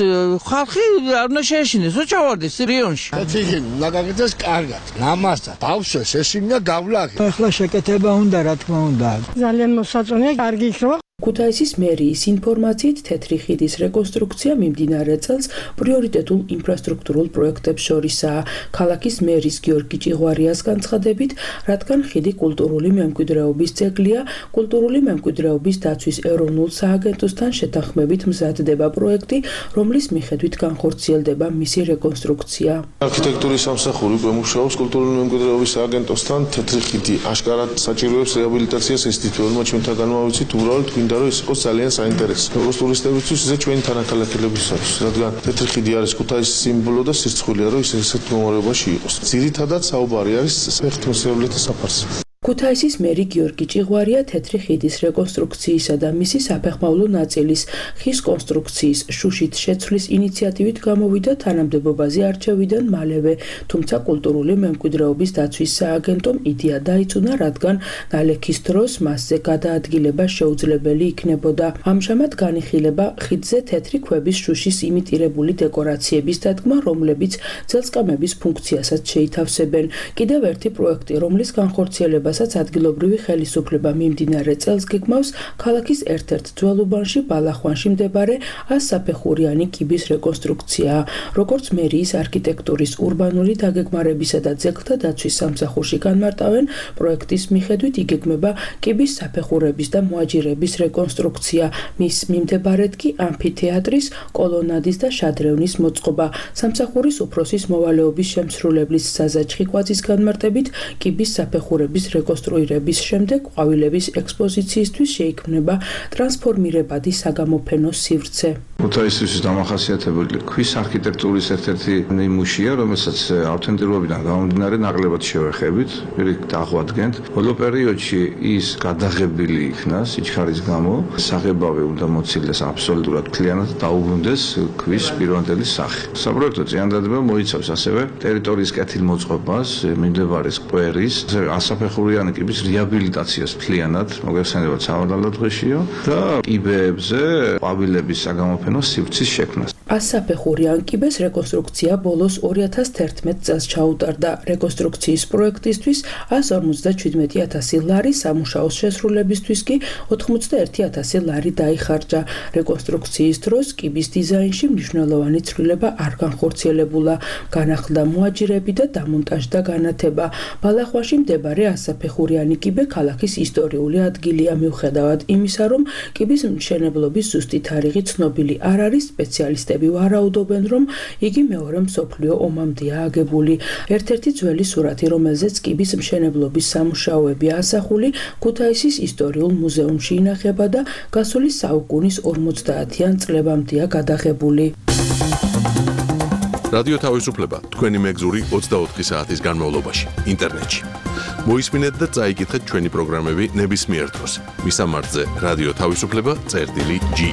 ხალხი არ უნდა შეეშინეს, უჩავარდეს რიონში. ხიდი უნდა გაკეთდეს კარგად, ნამასთან, ბავშვებს ეს უნდა გავლაღი. ახლა შეკეთება უნდა, რა თქმა უნდა. ძალიან მოსაწონია, კარგი იქნება. ქუთაისის მერიის ინფორმაციით თეთრი ხიდის რეკონსტრუქცია მიმდინარე წელს პრიორიტეტულ ინფრასტრუქტურულ პროექტებს შორისაა. ქალაქის მერის გიორგი ჭიღვარიას განცხადებით, რადგან ხიდი კულტურული მემკვიდრეობის ძეგლია, კულტურული მემკვიდრეობის დაცვის ეროვნულ სააგენტოსთან შეთანხმებით მზადდება პროექტი, რომლის მიხედვით განხორციელდება მისი რეკონსტრუქცია. არქიტექტურის სამსახური მუშაობს კულტურული მემკვიდრეობის სააგენტოსთან. თეთრი ხიდი აშკარად საჭიროებს რეაბილიტაციას, ეს თითოეულმა ჩვენთან განვავიცით, უბრალოდ გვინდა რომ ის იყოს ძალიან საინტერესო. როგორც ტურისტებისთვის, ისე ჩვენი თანაქალაქელებისთვის, რადგან თეთრი ხიდი არის ქუთაისის სიმბოლო და სირცხვილია, რომ ის ესეთ მდგომარეობაში იყოს. ძირითადად საუბარი არის ფეხით მოსიარულეთა საფარზე. ქუთაისის მერი გიორგი ჭიღვარია თეთრი ხიდის რეკონსტრუქციისა და მისი საფეხმავლო ნაწილის ხის კონსტრუქციის შუშით შეცვლის ინიციატივით გამოვიდა თანამდებობაზე არჩევიდან მალევე, თუმცა კულტურული მემკვიდრეობის დაცვის სააგენტომ იდეა დაიწუნა, რადგან ნალექის დროს მასზე გადაადგილება შეუძლებელი იქნებოდა. ამჟამად განიხილება ხიდზე თეთრი ქვების შუშის იმიტირებული დეკორაციების დადგმა, რომლებიც ძელსკამების ფუნქციასაც შეითავსებენ. კიდევ ერთი პროექტი, რომლის განხორციელებას რასაც ადგილობრივი ხელისუფლება მიმდინარე წელს გეგმავს ქალაქის ერთ-ერთ ძველ უბანში ბალახვანში მდებარე 100 საფეხურიანი კიბის რეკონსტრუქცია. როგორც მერიის არქიტექტურის урბანული დაგეგმარებისა და ძეგლთა დაცვის სამსახურში განმარტავენ, პროექტის მიხედვით იგეგმება კიბის საფეხურების და მოაჯირების რეკონსტრუქცია. მის მიმდებარედ კი ამფითეატრის, კოლონადის და შადრევნის მოწყობა. სამსახურის უფროსის მოვალეობის შემსრულებლის საზაჭხი კვadzის განმარტებით, კიბის საფეხურების რეკონსტრუირების შემდეგ ყვავილების ექსპოზიციისთვის შეიქმნება ტრანსფორმირებადი საგამოფენო სივრცე. ქუთაისის დამახასიათებელი ქვის არქიტექტურის ერთ-ერთი ნიმუშია, რომელსაც ავთენტურობიდან გამომდინარე ნაკლებად შევეხებით, პირიქით აღვადგენთ. ბოლო პერიოდში ის გადაღებილი იქნა სიჩქარის გამო, საღებავი უნდა მოცილდეს აბსოლუტურად მთლიანად დაუბრუნდეს ქვის პირვანდელი სახე. საპროექტო წინადადება მოიცავს ასევე ტერიტორიის კეთილმოწყობას, მიმდებარე სკვერის, ასაფეხურიანი კიბის რეაბილიტაციას მთლიანად, მოგეხსენებათ სავალალო დღეშიო და კიბეებზე ყვავილების საგამოფენო სივრცის შექმნას. 100 საფეხურიან კიბეს რეკონსტრუქცია ბოლოს 2011 წელს ჩაუტარდა. რეკონსტრუქციის პროექტისთვის 157.000 ლარი, სამუშაოს შესრულებისთვის კი 81.000 ლარი დაიხარჯა. რეკონსტრუქციის დროს კიბის დიზაინში მნიშვნელოვანი ცვლილება არ განხორციელებულა. განახლდა მოაჯირები და დამონტაჟდა განათება. ბალახვაში მდებარე 100 საფეხურიანი კიბე ქალაქის ისტორიული ადგილია, მიუხედავად იმისა, რომ კიბის მშენებლობის ზუსტი თარიღი ცნობილი არ არის, სპეციალისტები ვარაუდობენ, რომ იგი მეორე მსოფლიო ომამდეა აგებული. ერთ-ერთი ძველი სურათი, რომელზეც კიბის მშენებლობის სამუშაოებია ასახული, ქუთაისის ისტორიულ მუზეუმში ინახება და გასული საუკუნის 50-იან წლებამდეა გადაღებული. რადიო თავისუფლება თქვენი მეგზური 24 საათის განმავლობაში ინტერნეტში. მოისმინეთ და წაიკითხეთ ჩვენი პროგრამები ნებისმიერ დროს. მისამართზე რადიო თავისუფლება.ge.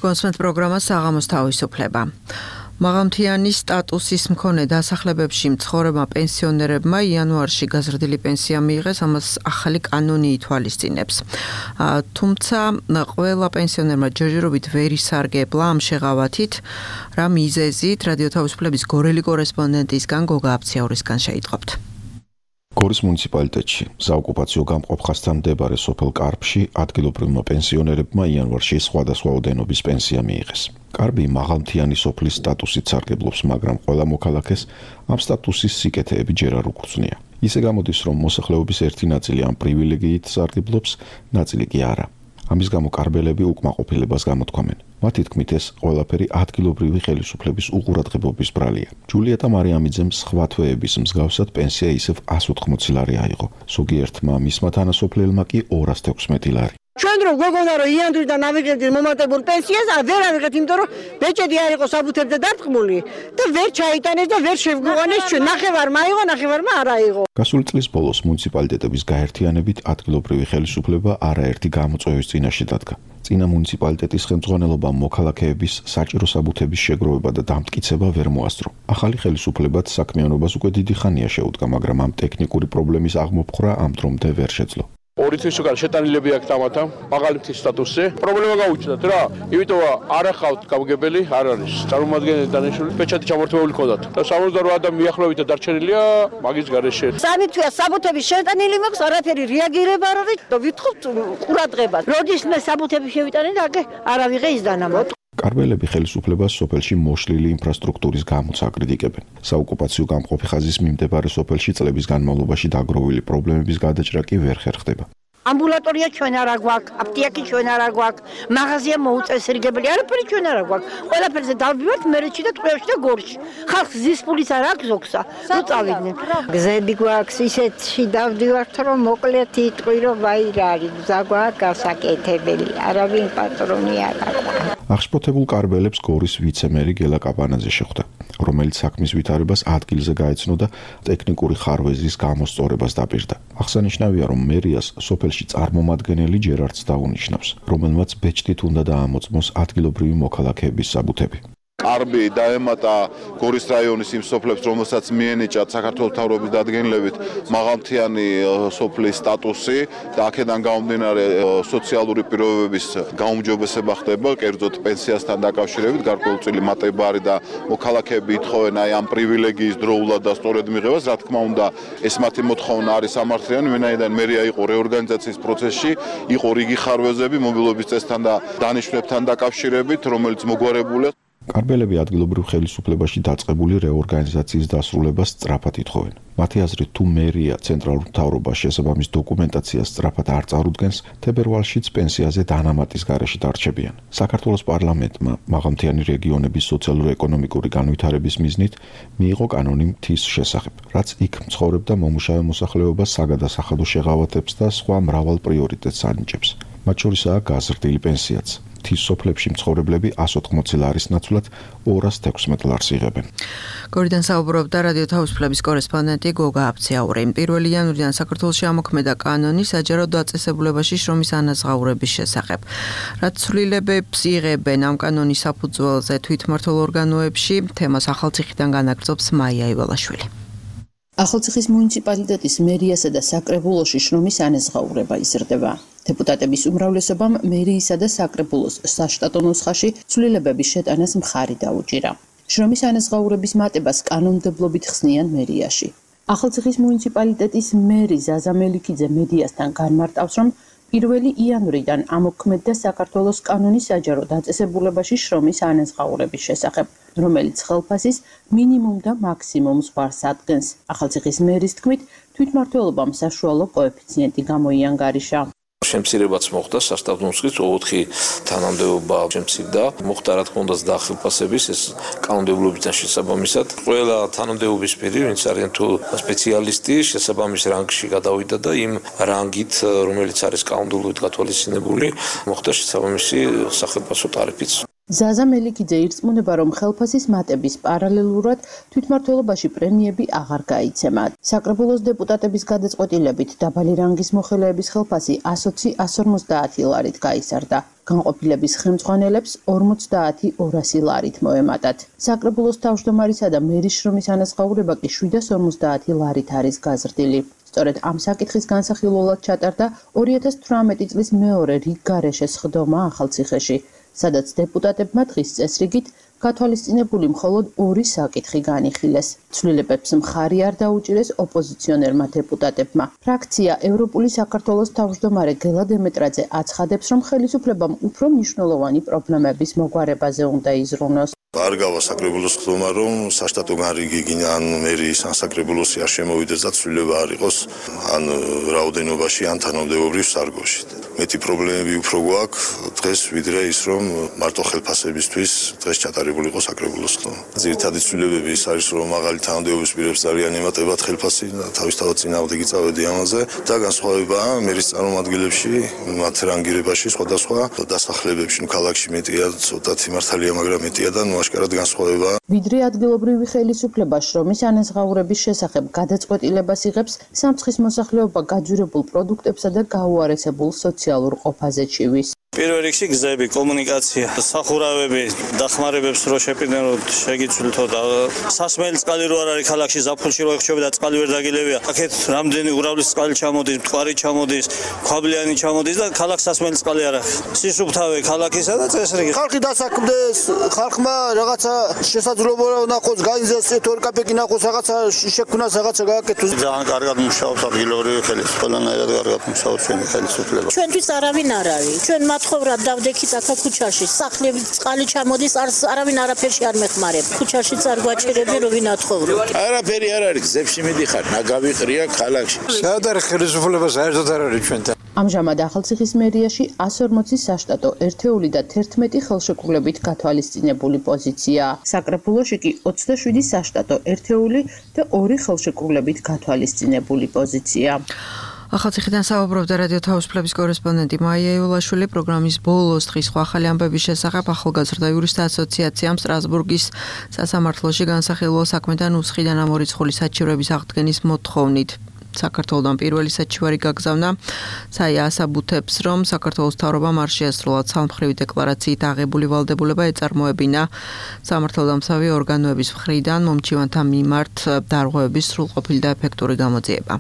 კონსმეთ პროგრამა საღამოს თავისუფლება. მაღალმთიანი სტატუსის მქონე დასახლებებში მცხოვრებმა პენსიონერებმა იანვარში გაზრდილი პენსია მიიღეს, ამას ახალი კანონი ითვალისწინებს. თუმცა ყველა პენსიონერმა ჯერჯერობით ვერ ისარგებლა ამ შეღავათით, რა მიზეზით რადიო თავისუფლების გორელი კორესპონდენტისგან გოგა აფციაურისგან შეიტყობთ. გორის მუნიციპალიტეტში საოკუპაციო გამყოფხასთან მდებარე სოფელ კარბში ადგილობრივმა პენსიონერებმა იანვარში სხვადასხვა ოდენობის პენსია მიიღეს. კარბი მაღალმთიანი სოფლის სტატუსით სარგებლობს, მაგრამ ყველა მოქალაქეს ამ სტატუსის სიკეთეები ჯერ არ უგრძნია. ისე გამოდის, რომ მოსახლეობის ერთი ნაწილი ამ პრივილეგიით სარგებლობს, ნაწილი კი არა. ამის გამო კარბელები უკმაყოფილებას გამოთქვამენ. მათი თქმით, ეს ყველაფერი ადგილობრივი ხელისუფლების უყურადღებობის ბრალია. ჯულიეტა მარიამიძემ სხვა თვეების მსგავსად პენსია ისევ 180 ლარი აიღო. ზოგიერთმა მისმა თანასოფლელმა კი 216 ლარი. ჩვენ რო გოგონა რო იანვრიდან ავიღებდით მომატებულ პენსიას, ვერ ავიღეთ, იმიტომ რომ ბეჭედი არ იყო საბუთებზე დარტყმული და ვერ ჩაიტანეს და ვერ შევგვიყვანეს ჩვენ. ნახევარ მაიღო, ნახევარმა არ აიღო. გასული წლის ბოლოს მუნიციპალიტეტების გაერთიანებით ადგილობრივი ხელისუფლება არაერთი გამოწვევის წინაშე დადგა. წინა მუნიციპალიტეტის ხელმძღვანელობამ მოქალაქეების საჭირო საბუთების შეგროვება და დამტკიცება ვერ მოასწრო. ახალი ხელისუფლებაც საქმიანობას უკვე დიდი ხანია შეუდგა, მაგრამ ამ ტექნიკური პრობლემის აღმოფხვრა ამ დრომდე ვერ შეძლო. ორი თვის უკან შეტანილები აქვს თამათა მაღალმთის სტატუსზე. პრობლემა გაუჩნდათ რა, იმიტომ არ ახავთ გამგებელი, არ არის. წარმომადგენელი დანიშნული პეჩატი ჩამორთმეული ქონდათ. და 68 ადამიანი მიახლოებით დარჩენილია მაგის გარეშე. სამი თვეა საბუთების შეტანილი მაქვს, არაფერი რეაგირება არ არის და ვითხოვთ ყურადღებას. როდის მე საბუთები შევიტანე და არ ავიღე ის დანამატი. კარბელები ხელისუფლებას სოფელში მოშლილი ინფრასტრუქტურის გამოც აკრიტიკებენ. საოკუპაციო გამყოფი ხაზის მიმდებარე სოფელში წლების განმავლობაში დაგროვილი პრობლემების გადაჭრა კი ვერ ხერხდება. ამბულატორია ჩვენ არ აგვაქვს, აპტიაკი ჩვენ არ აგვაქვს, მაღაზია მოუწესრიგებელი, არაფერი ჩვენ არ აგვაქვს. ყველაფერზე დავდივართ მერეთში და ტყუებში და გორში. ხალხს ზის პულის არ აქვს ზოგსა. ნუ წავიდნენ. გზები გვაქვს ისეთში დავდივართ, რომ მოკლედ იტყვი რომ ვაირ არის, გზა გვაქვს გასაკეთებელი, არავინ პატრონი არ აქვს. აღშფოთებულ კარბელებს გორის ვიცე-მერი გელა კაპანაძე შეხვდა, რომელიც საქმის ვითარებას ადგილზე გაეცნო და ტექნიკური ხარვეზის გამოსწორებას დაპირდა. აღსანიშნავია, რომ მერიას სოფელში წარმომადგენელი ჯერ არც დაუნიშნავს, რომელმაც ბეჭდით უნდა დაამოწმოს ადგილობრივი მოქალაქეების საბუთები. კარბი დაემატა გორის რაიონის იმ სოფლებს, რომელსაც მიენიჭათ საქართველოს მთავრობის დადგენილებით მაღალმთიანი სოფლის სტატუსი და აქედან გამომდინარე სოციალური პირობების გაუმჯობესება ხდება, კერძოდ პენსიასთან დაკავშირებით, გარკვეულწილი მატებარი და მოქალაქეები ითხოვენ აი ამ პრივილეგიის დროულად და სწორედ მიღებას, რა თქმა უნდა, ეს მათი მოთხოვნა არის სამართლიანი, ვინაიდან მერია იყო რეორგანიზაციის პროცესში, იყო რიგი ხარვეზები მობილობის წესთან და დანიშვნებთან დაკავშირებით, რომელიც მოგვარებულია. კარბელები ადგილობრივ ხელისუფლებაში დაწყებული რეორგანიზაციის დასრულებას სწრაფად ითხოვენ. მათი აზრით, თუ მერია ცენტრალურ მთავრობას შესაბამის დოკუმენტაციას სწრაფად არ წარუდგენს, თებერვალშიც პენსიაზე დანამატის გარეშე დარჩებიან. საქართველოს პარლამენტმა მაღალმთიანი რეგიონების სოციალურ-ეკონომიკური განვითარების მიზნით მიიღო კანონი მთის შესახებ, რაც იქ მცხოვრებ და მომუშავე მოსახლეობას საგადასახადო შეღავათებს და სხვა მრავალ პრიორიტეტს ანიჭებს. მათ შორისაა გაზრდილი პენსიაც. მთის სოფლებში მცხოვრებლები 180 ლარის ნაცვლად 216 ლარს იღებენ. გორიდან საუბრობდა რადიო თავისუფლების კორესპონდენტი გოგა აბციაური. 1 იანვრიდან საქართველოში ამოქმედა კანონი საჯარო დაწესებულებაში შრომის ანაზღაურების შესახებ. რაც ცვლილებებს იღებენ ამ კანონის საფუძველზე თვითმმართველ ორგანოებში, თემას ახალციხიდან განაგრძობს მაია ივალაშვილი. ახალციხის მუნიციპალიტეტის მერიასა და საკრებულოში შრომის ანაზღაურება იზრდება. დეპუტატების უმრავლესობამ მერიისა და საკრებულოს საშტატო ნუსხაში ცვლილებების შეტანას მხარი დაუჭირა. შრომის ანაზღაურების მატებას კანონმდებლობით ხსნიან მერიაში. ახალციხის მუნიციპალიტეტის მერი ზაზა მელიქიძე მედიასთან განმარტავს, რომ 1 იანვრიდან ამოქმედდა საქართველოს კანონი საჯარო დაწესებულებაში შრომის ანაზღაურების შესახებ, რომელიც ხელფასის მინიმუმ და მაქსიმუმ ზღვარს ადგენს. ახალციხის მერის თქმით, თვითმმართველობამ საშუალო კოეფიციენტი გამოიანგარიშა. შემცირებაც მოხდა სასტავ ნუსხის 4 თანამდებობა შემცირდა, მოხდა რა თქმა უნდა დაახელფასების ეს კანონმდებლობიდან შესაბამისად. ყველა თანამდებობის პირი, ვინც არიან თუ სპეციალისტი, შესაბამის რანგში გადავიდა და იმ რანგით, რომელიც არის კანონმდებლობით გათვალისწინებული, მოხდა შესაბამისი სახელმწიფო ტარიფიც. ზაზა მელიქიძე ირწმუნება, რომ ხელფასის მატების პარალელურად თვითმმართველობაში პრემიები აღარ გაიცემა. საკრებულოს დეპუტატების გადაწყვეტილებით დაბალი რანგის მოხელეების ხელფასი 120-150 ლარით გაიზარდა. განყოფილების ხელმძღვანელებს 50-200 ლარით მოემატათ. საკრებულოს თავმჯდომარისა და მერის შრომის ანაზღაურება კი 750 ლარით არის გაზრდილი. სწორედ ამ საკითხის განსახილველად ჩატარდა 2018 წლის მეორე რიგგარეშე სხდომა ახალციხეში, სადაც დეპუტატებმა დღის წესრიგით გათვალისწინებული მხოლოდ 2 საკითხი განიხილეს. ცვლილებებს მხარი არ დაუჭირეს ოპოზიციონერმა დეპუტატებმა. ფრაქცია ევროპული საქართველოს თავმჯდომარე გელა დემეტრაძე აცხადებს, რომ ხელისუფლებამ უფრო მნიშვნელოვანი პრობლემების მოგვარებაზე უნდა იზრუნოს. არ გავა საკრებულოს ხდომა, რომ საშტატო განრიგი გინდა ან მერის ან საკრებულოსი არ შემოვიდეს და ცვლილება არ იყოს ან რაოდენობაში ან თანამდებობრივ სარგოში. მეტი პრობლემები უფრო გვაქვს დღეს ვიდრე ის, რომ მარტო ხელფასებისთვის დღეს ჩატარებული იყო საკრებულოს ხდომა. ძირითადი ცვლილებები ის არის, რომ მაღალი თანამდებობის პირებს ძალიან ემატებათ ხელფასი და თავისთავად წინააღმდეგი წავედი ამაზე და განსხვავებაა მერის წარმომადგენლებში, მათ რანგირებაში სხვადასხვა დასახლებებში, ქალაქში მეტია, ცოტათი მართალია, მაგრამ მეტია და აშკარად განსხვავება. ვიდრე ადგილობრივი ხელისუფლება შრომის ანაზღაურების შესახებ გადაწყვეტილებას იღებს, სამცხის მოსახლეობა გაძვირებულ პროდუქტებსა და გაუარესებულ სოციალურ ყოფაზე ჩივის. პირველ რიგში გზები, კომუნიკაცია, სახურავები, დახმარებებს რო შეპირდნენ, რომ შეგიცვლითო და სასმელი წყალი რო არ არის ქალაქში, ზაფხულში რო ეხჩები და წყალი ვერ დაგილებია. აქეთ რამდენი ურავლის წყალი ჩამოდის, მტკვარი ჩამოდის, ქვაბლიანი ჩამოდის და ქალაქ სასმელი წყალი არ აქვს. სისუფთავე ქალაქისა და წესრიგი. ხალხი დასაქმდეს, ხალხმა რაღაცა შესაძლებლობა ნახოს, გაიზრდეს 2 კაპეკი ნახოს, რაღაცა შექმნას, რაღაცა გააკეთოს. ძალიან კარგად მუშაობს ადგილობრივი ხელისუფლება, ყველანაირად კარგად მუშაობს ჩვენი ხელისუფლება. ჩვენთვის არავინ არ არის. ჩვენ მათხოვრად დავდექით აქ ქუჩაში. სახლები წყალი ჩამოდის, არავინ არაფერში არ მეხმარება. ქუჩაში არ გვაჭირებენ, რომ ვინათხოვრო. არაფერი არ არის, გზებში მიდიხარ, ნაგავი ყრია ქალაქში. საერთოდ ხელისუფლება საერთოდ არ არის ჩვენთან. ამჟამად ახალციხის მერიაში 140 საშტატო ერთეული და 11 ხელშეკრულებით გათვალისწინებული პოზიცია. საკრებულოში კი 27 საშტატო ერთეული და 2 ხელშეკრულებით გათვალისწინებული პოზიცია. ახალციხიდან საუბრობდა რადიო თავისუფლების კორესპონდენტი მაია იოლაშვილი. პროგრამის ბოლოს დღის სხვა ახალი ამბების შესახებ ახალგაზრდა იურისტთა ასოციაციამ სტრასბურგის სასამართლოში განსახილველ საქმედან უცხიდან ამორიცხული საჩივრების აღდგენის მოთხოვნით საქართველოსთან პირველი საჩივარი გაგზავნა. საია ასაბუთებს, რომ საქართველოს მთავრობამ არ შეასრულა ცალმხრივი დეკლარაციით აღებული ვალდებულება ეწარმოებინა სამართალდამცავი ორგანოების მხრიდან მომჩივანთა მიმართ დარღვევების სრულყოფილი და ეფექტური გამოძიება.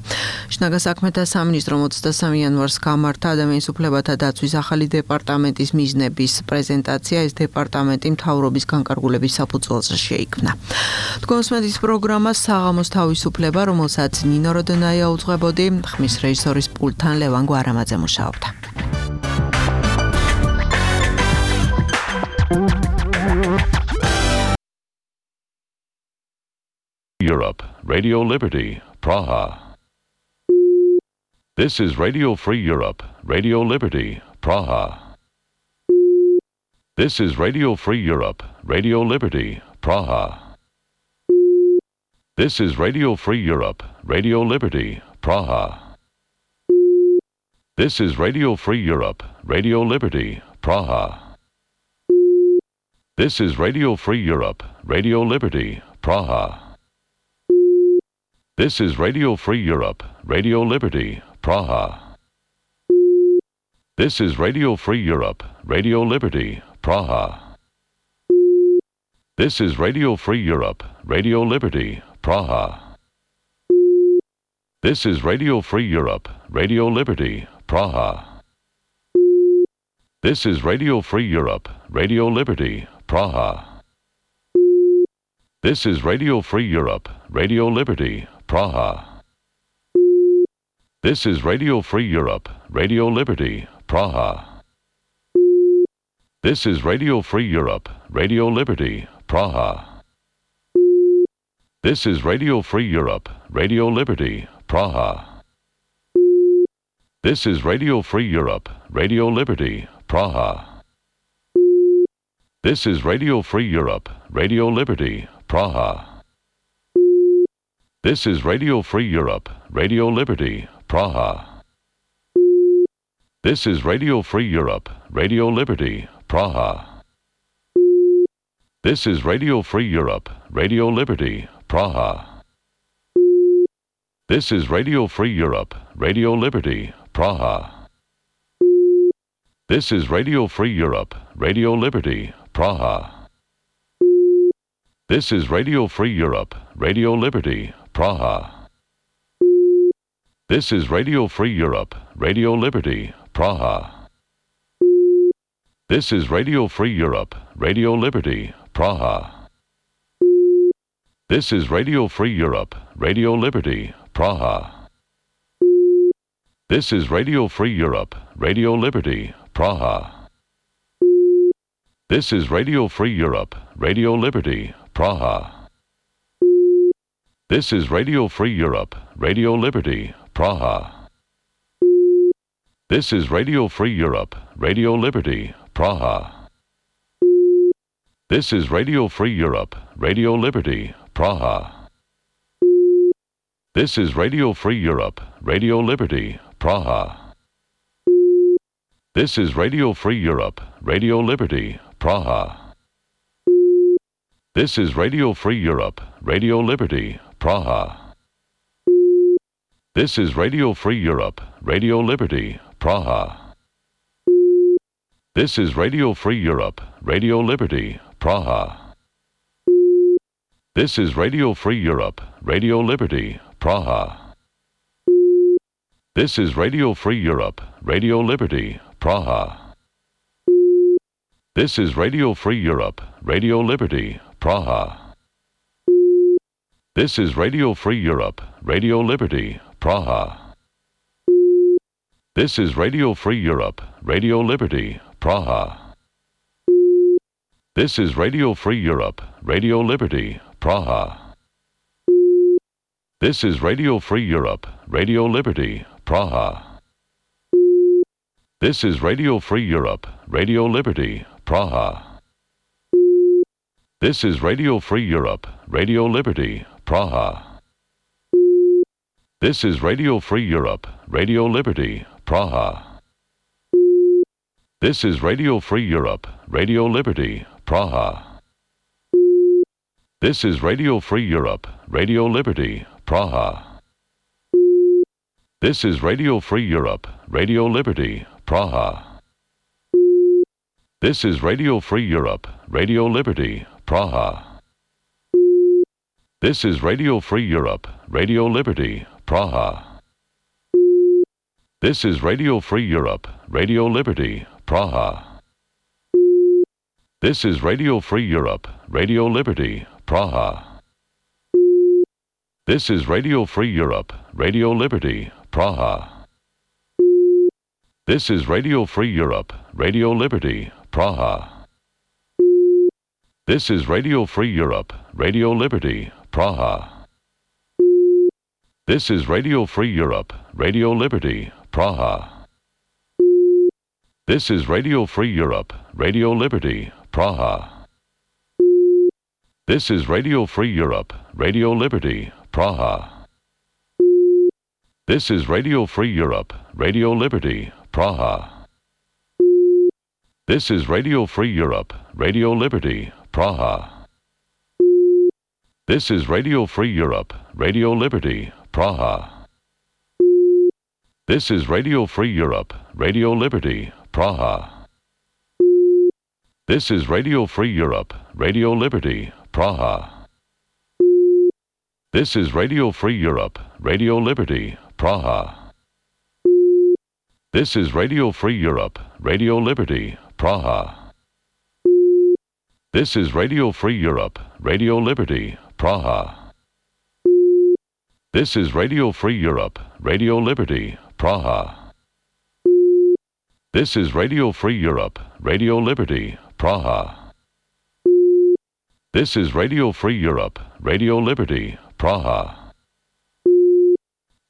შინაგან საქმეთა სამინისტრომ 23 იანვარს გამართა ადამიანის უფლებათა დაცვის ახალი დეპარტამენტის მიზნების პრეზენტაცია. ეს დეპარტამენტი მთავრობის განკარგულების საფუძველზე შეიქმნა. თქვენს პროგრამა საღამოს თავისუფლება, რომელსაც ნინო როდონაია უძღვებოდი, ხმის რეჟისორის პულტთან ლევან გვარამაძე მუშაობდა. Europe, Radio Liberty, Praha. This is Radio Free Europe, Radio Liberty, Praha. This is Radio Free Europe, Radio Liberty, Praha. This is Radio Free Europe, Radio Liberty, Praha. This is Radio Free Europe, Radio Liberty, Praha. This is Radio Free Europe, Radio Liberty, Praha. This is Radio Free Europe, Radio Liberty, Praha. This is Radio Free Europe, Radio Liberty, Praha. This is Radio Free Europe, Radio Liberty, Praha. This is Radio Free Europe, Radio Liberty, Praha. This is Radio Free Europe, Radio Liberty, Praha. This is Radio Free Europe, Radio Liberty, Praha. This is Radio Free Europe, Radio Liberty, Praha. This is Radio Free Europe, Radio Liberty, Praha. This is Radio Free Europe, Radio Liberty, Praha. This is Radio Free Europe, Radio Liberty, Praha. This is Radio Free Europe, Radio Liberty, Praha. This is Radio Free Europe, Radio Liberty, Praha. This is Radio Free Europe, Radio Liberty, Praha. This is Radio Free Europe, Radio Liberty, Praha. This is Radio Free Europe, Radio Liberty, Praha. This is Radio Free Europe, Radio Liberty, Praha. This is Radio Free Europe, Radio Liberty, Praha. This is Radio Free Europe, Radio Liberty, Praha. This is Radio Free Europe, Radio Liberty, Praha. This is Radio Free Europe, Radio Liberty, Praha. This is Radio Free Europe, Radio Liberty, Praha. This is Radio Free Europe, Radio Liberty, Praha. This is Radio Free Europe, Radio Liberty, Praha. This is Radio Free Europe, Radio Liberty, Praha. This is Radio Free Europe, Radio Liberty, Praha. This is Radio Free Europe, Radio Liberty, Praha. This is Radio Free Europe, Radio Liberty, Praha. This is Radio Free Europe, Radio Liberty, Praha. This is Radio Free Europe, Radio Liberty, Praha. This is Radio Free Europe, Radio Liberty, Praha. This is Radio Free Europe, Radio Liberty, Praha. This is Radio Free Europe, Radio Liberty, Praha. This is Radio Free Europe, Radio Liberty, Praha. This is Radio Free Europe, Radio Liberty, Praha. This is Radio Free Europe, Radio Liberty, Praha. This is Radio Free Europe, Radio Liberty, Praha. This is Radio Free Europe, Radio Liberty, Praha. This is Radio Free Europe, Radio Liberty, Praha. This is Radio Free Europe, Radio Liberty, Praha. This is Radio Free Europe, Radio Liberty, Praha. This is Radio Free Europe, Radio Liberty, Praha. This is Radio Free Europe, Radio Liberty, Praha. This is Radio Free Europe, Radio Liberty, Praha. This is Radio Free Europe, Radio Liberty, Praha. This is Radio Free Europe, Radio Liberty, Praha. This is Radio Free Europe, Radio Liberty, Praha. This is Radio Free Europe, Radio Liberty, Praha. This is Radio Free Europe, Radio Liberty, Praha. This is Radio Free Europe, Radio Liberty, Praha. This is Radio Free Europe, Radio Liberty, Praha. This is Radio Free Europe, Radio Liberty, Praha. This is Radio Free Europe, Radio Liberty, Praha. This is Radio Free Europe, Radio Liberty, Praha. This is Radio Free Europe, Radio Liberty, Praha. This is Radio Free Europe, Radio Liberty, Praha. This is Radio Free Europe, Radio Liberty, Praha. This is Radio Free Europe, Radio Liberty, Praha. This is Radio Free Europe, Radio Liberty, Praha. This is Radio Free Europe, Radio Liberty, Praha. This is Radio Free Europe, Radio Liberty, Praha. This is Radio Free Europe, Radio Liberty, Praha. This is Radio Free Europe, Radio Liberty, Praha. This is Radio Free Europe, Radio Liberty, Praha. This is Radio Free Europe, Radio Liberty, Praha.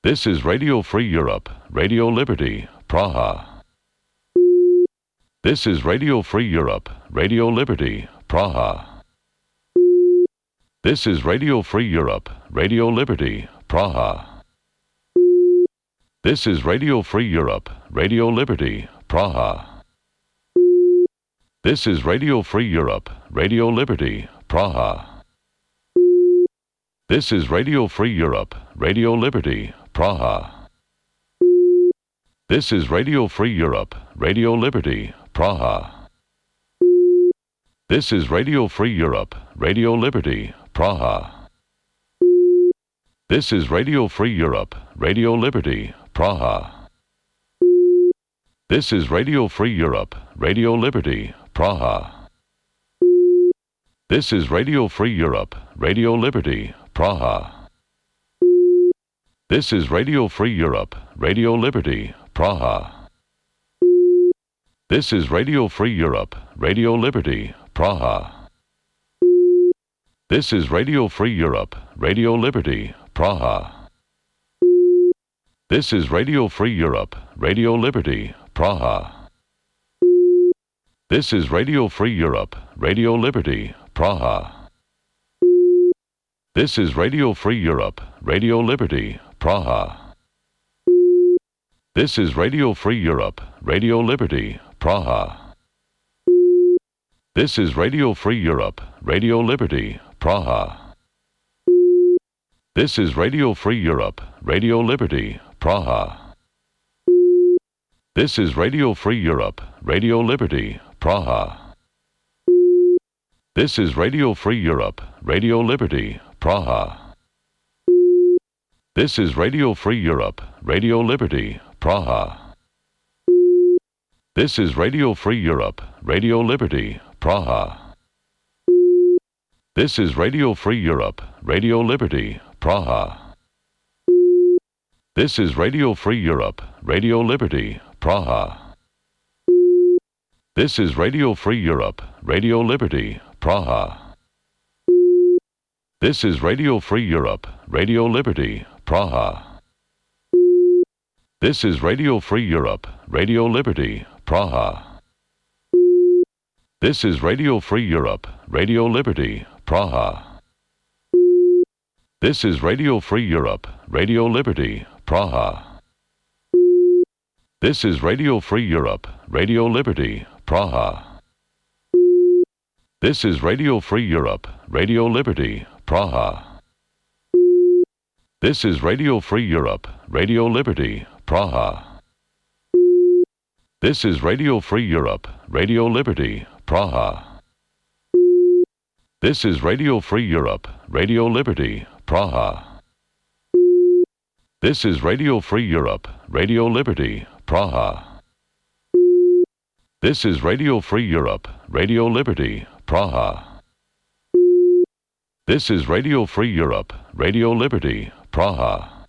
This is Radio Free Europe, Radio Liberty, Praha. This is Radio Free Europe, Radio Liberty, Praha. This is Radio Free Europe, Radio Liberty, Praha. This is Radio Free Europe, Radio Liberty, Praha. This is Radio Free Europe, Radio Liberty, Praha. This is Radio Free Europe, Radio Liberty, Praha. This is Radio Free Europe, Radio Liberty, Praha. This is Radio Free Europe, Radio Liberty, Praha. This is Radio Free Europe, Radio Liberty, Praha. This is Radio Free Europe, Radio Liberty, Praha. This is Radio Free Europe, Radio Liberty, Praha. This is Radio Free Europe, Radio Liberty, Praha. This is Radio Free Europe, Radio Liberty, Praha. This is Radio Free Europe, Radio Liberty, Praha. This is Radio Free Europe, Radio Liberty, Praha. This is Radio Free Europe, Radio Liberty, Praha. This is Radio Free Europe, Radio Liberty, Praha. This is Radio Free Europe, Radio Liberty, Praha. This is Radio Free Europe, Radio Liberty, Praha. This is Radio Free Europe, Radio Liberty, Praha. This is Radio Free Europe, Radio Liberty, Praha. This is Radio Free Europe, Radio Liberty, Praha. This is Radio Free Europe, Radio Liberty, Praha. This is Radio Free Europe, Radio Liberty, Praha. This is Radio Free Europe, Radio Liberty, Praha. This is Radio Free Europe, Radio Liberty, Praha. This is Radio Free Europe, Radio Liberty, Praha. This is Radio Free Europe, Radio Liberty, Praha. This is Radio Free Europe, Radio Liberty, Praha. This is Radio Free Europe, Radio Liberty, Praha. This is Radio Free Europe, Radio Liberty, Praha. This is Radio Free Europe, Radio Liberty, Praha. This is Radio Free Europe, Radio Liberty, Praha. This is Radio Free Europe, Radio Liberty, Praha. This is Radio Free Europe, Radio Liberty, Praha. This is Radio Free Europe, Radio Liberty, Praha. This is Radio Free Europe, Radio Liberty, Praha. This is Radio Free Europe, Radio Liberty, Praha. This is Radio Free Europe, Radio Liberty, Praha.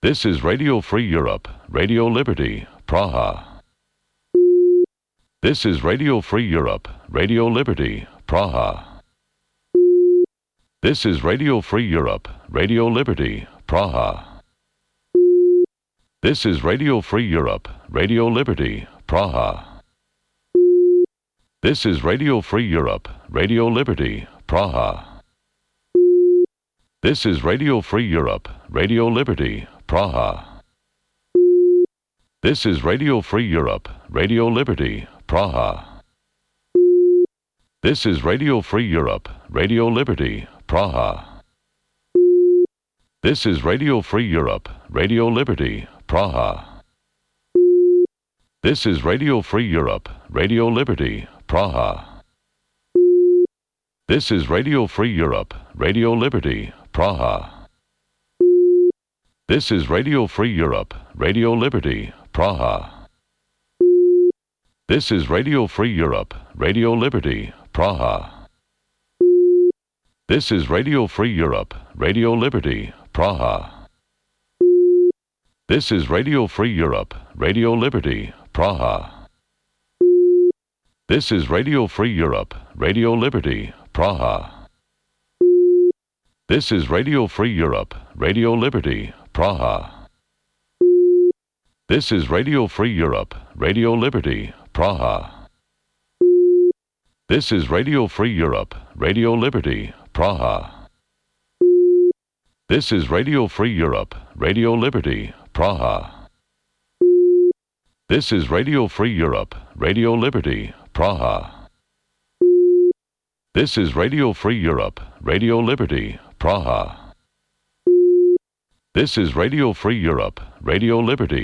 This is Radio Free Europe, Radio Liberty, Praha. This is Radio Free Europe, Radio Liberty, Praha. This is Radio Free Europe, Radio Liberty, Praha. This is Radio Free Europe, Radio Liberty, Praha. This is Radio Free Europe, Radio Liberty, Praha. This is Radio Free Europe, Radio Liberty, Praha. This is Radio Free Europe, Radio Liberty, Praha. This is Radio Free Europe, Radio Liberty, Praha. This is Radio Free Europe, Radio Liberty, Praha. This is Radio Free Europe, Radio Liberty, Praha. This is Radio Free Europe, Radio Liberty, Praha. This is Radio Free Europe, Radio Liberty, Praha. This is Radio Free Europe, Radio Liberty, Praha. This is Radio Free Europe, Radio Liberty, Praha. This is Radio Free Europe, Radio Liberty, Praha. This is Radio Free Europe, Radio Liberty, Praha. This is Radio Free Europe, Radio Liberty, Praha. This is Radio Free Europe, Radio Liberty, Praha. This is Radio Free Europe, Radio Liberty, Praha. This is Radio Free Europe, Radio Liberty, Praha. This is Radio Free Europe, Radio Liberty, Praha. This is Radio Free Europe, Radio Liberty, Praha. This is Radio Free Europe, Radio Liberty,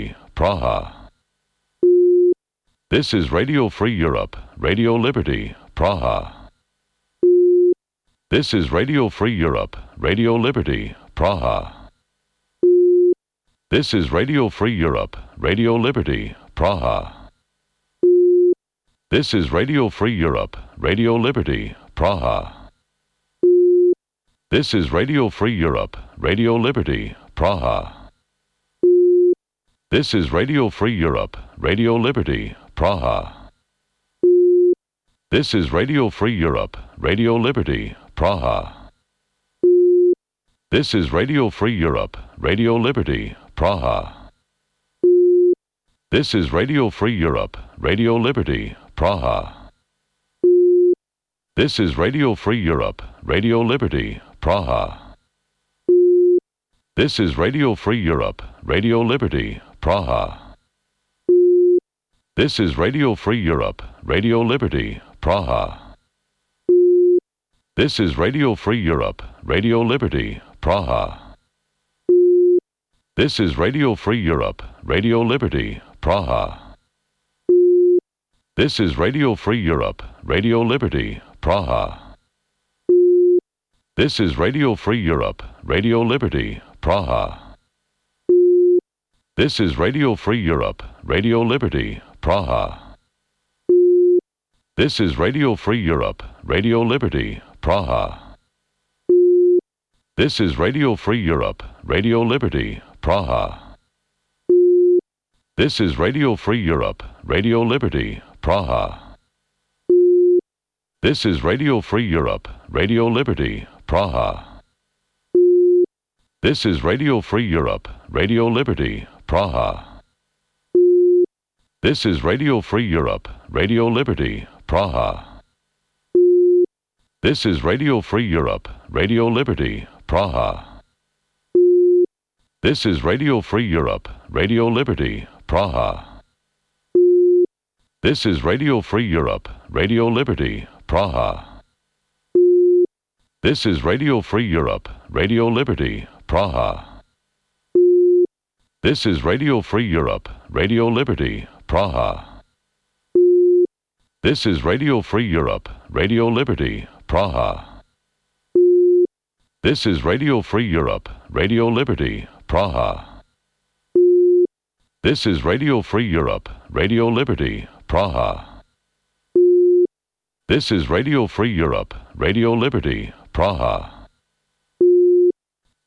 Praha. This is Radio Free Europe, Radio Liberty, Praha. This is Radio Free Europe, Radio Liberty, Praha. This is Radio Free Europe, Radio Liberty, Praha. This is Radio Free Europe, Radio Liberty, Praha. This is Radio Free Europe, Radio Liberty, Praha. This is Radio Free Europe, Radio Liberty, Praha. This is Radio Free Europe, Radio Liberty, Praha. This is Radio Free Europe, Radio Liberty, Praha. This is Radio Free Europe, Radio Liberty, Praha. This is Radio Free Europe, Radio Liberty, Praha. This is Radio Free Europe, Radio Liberty, Praha. This is Radio Free Europe, Radio Liberty, Praha. This is Radio Free Europe, Radio Liberty, Praha. This is Radio Free Europe, Radio Liberty, Praha. This is Radio Free Europe, Radio Liberty, Praha. This is Radio Free Europe, Radio Liberty, Praha. This is Radio Free Europe, Radio Liberty, Praha. This is Radio Free Europe, Radio Liberty, Praha. This is Radio Free Europe, Radio Liberty, Praha. This is Radio Free Europe, Radio Liberty, Praha. This is Radio Free Europe, Radio Liberty, Praha. This is Radio Free Europe, Radio Liberty, Praha. This is Radio Free Europe, Radio Liberty, Praha. This is Radio Free Europe, Radio Liberty, Praha. This is Radio Free Europe, Radio Liberty, Praha. This is Radio Free Europe, Radio Liberty, Praha. This is Radio Free Europe, Radio Liberty, Praha. This is Radio Free Europe, Radio Liberty, Praha. This is Radio Free Europe, Radio Liberty, Praha. This is Radio Free Europe, Radio Liberty, Praha. This is Radio Free Europe, Radio Liberty, Praha. This is Radio Free Europe, Radio Liberty, Praha.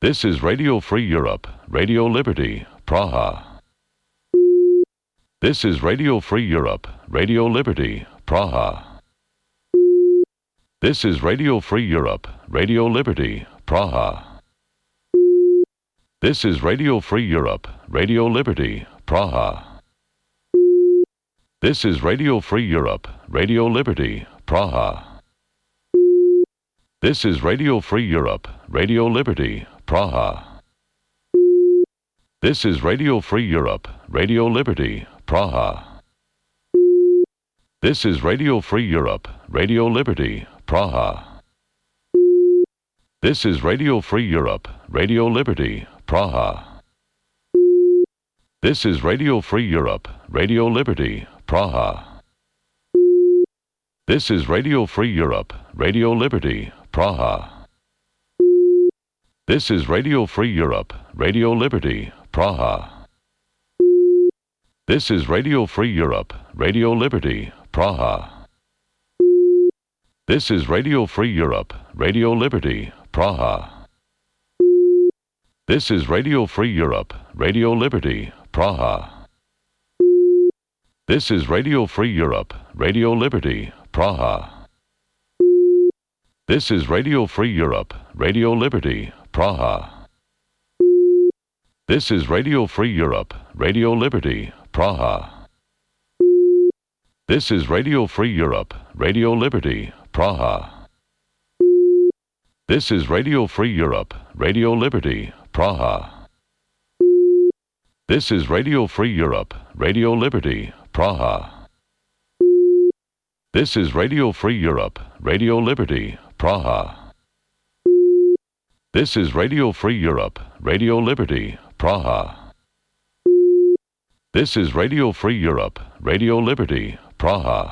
This is Radio Free Europe, Radio Liberty, Praha. This is Radio Free Europe, Radio Liberty, Praha. This is Radio Free Europe, Radio Liberty, Praha. This is Radio Free Europe, Radio Liberty, Praha. This is Radio Free Europe, Radio Liberty, Praha. This is Radio Free Europe, Radio Liberty, Praha. This is Radio Free Europe, Radio Liberty, Praha. This is Radio Free Europe, Radio Liberty, Praha. This is Radio Free Europe, Radio Liberty, Praha. This is Radio Free Europe, Radio Liberty, Praha. This is Radio Free Europe, Radio Liberty, Praha. This is Radio Free Europe, Radio Liberty, Praha. This is Radio Free Europe, Radio Liberty, Praha. This is Radio Free Europe, Radio Liberty, Praha. This is Radio Free Europe, Radio Liberty, Praha. This is Radio Free Europe, Radio Liberty, Praha. This is Radio Free Europe, Radio Liberty, Praha. This is Radio Free Europe, Radio Liberty, Praha. This is Radio Free Europe, Radio Liberty, Praha. This is Radio Free Europe, Radio Liberty, Praha. This is Radio Free Europe, Radio Liberty, Praha. This is Radio Free Europe, Radio Liberty, Praha. This is Radio Free Europe, Radio Liberty, Praha.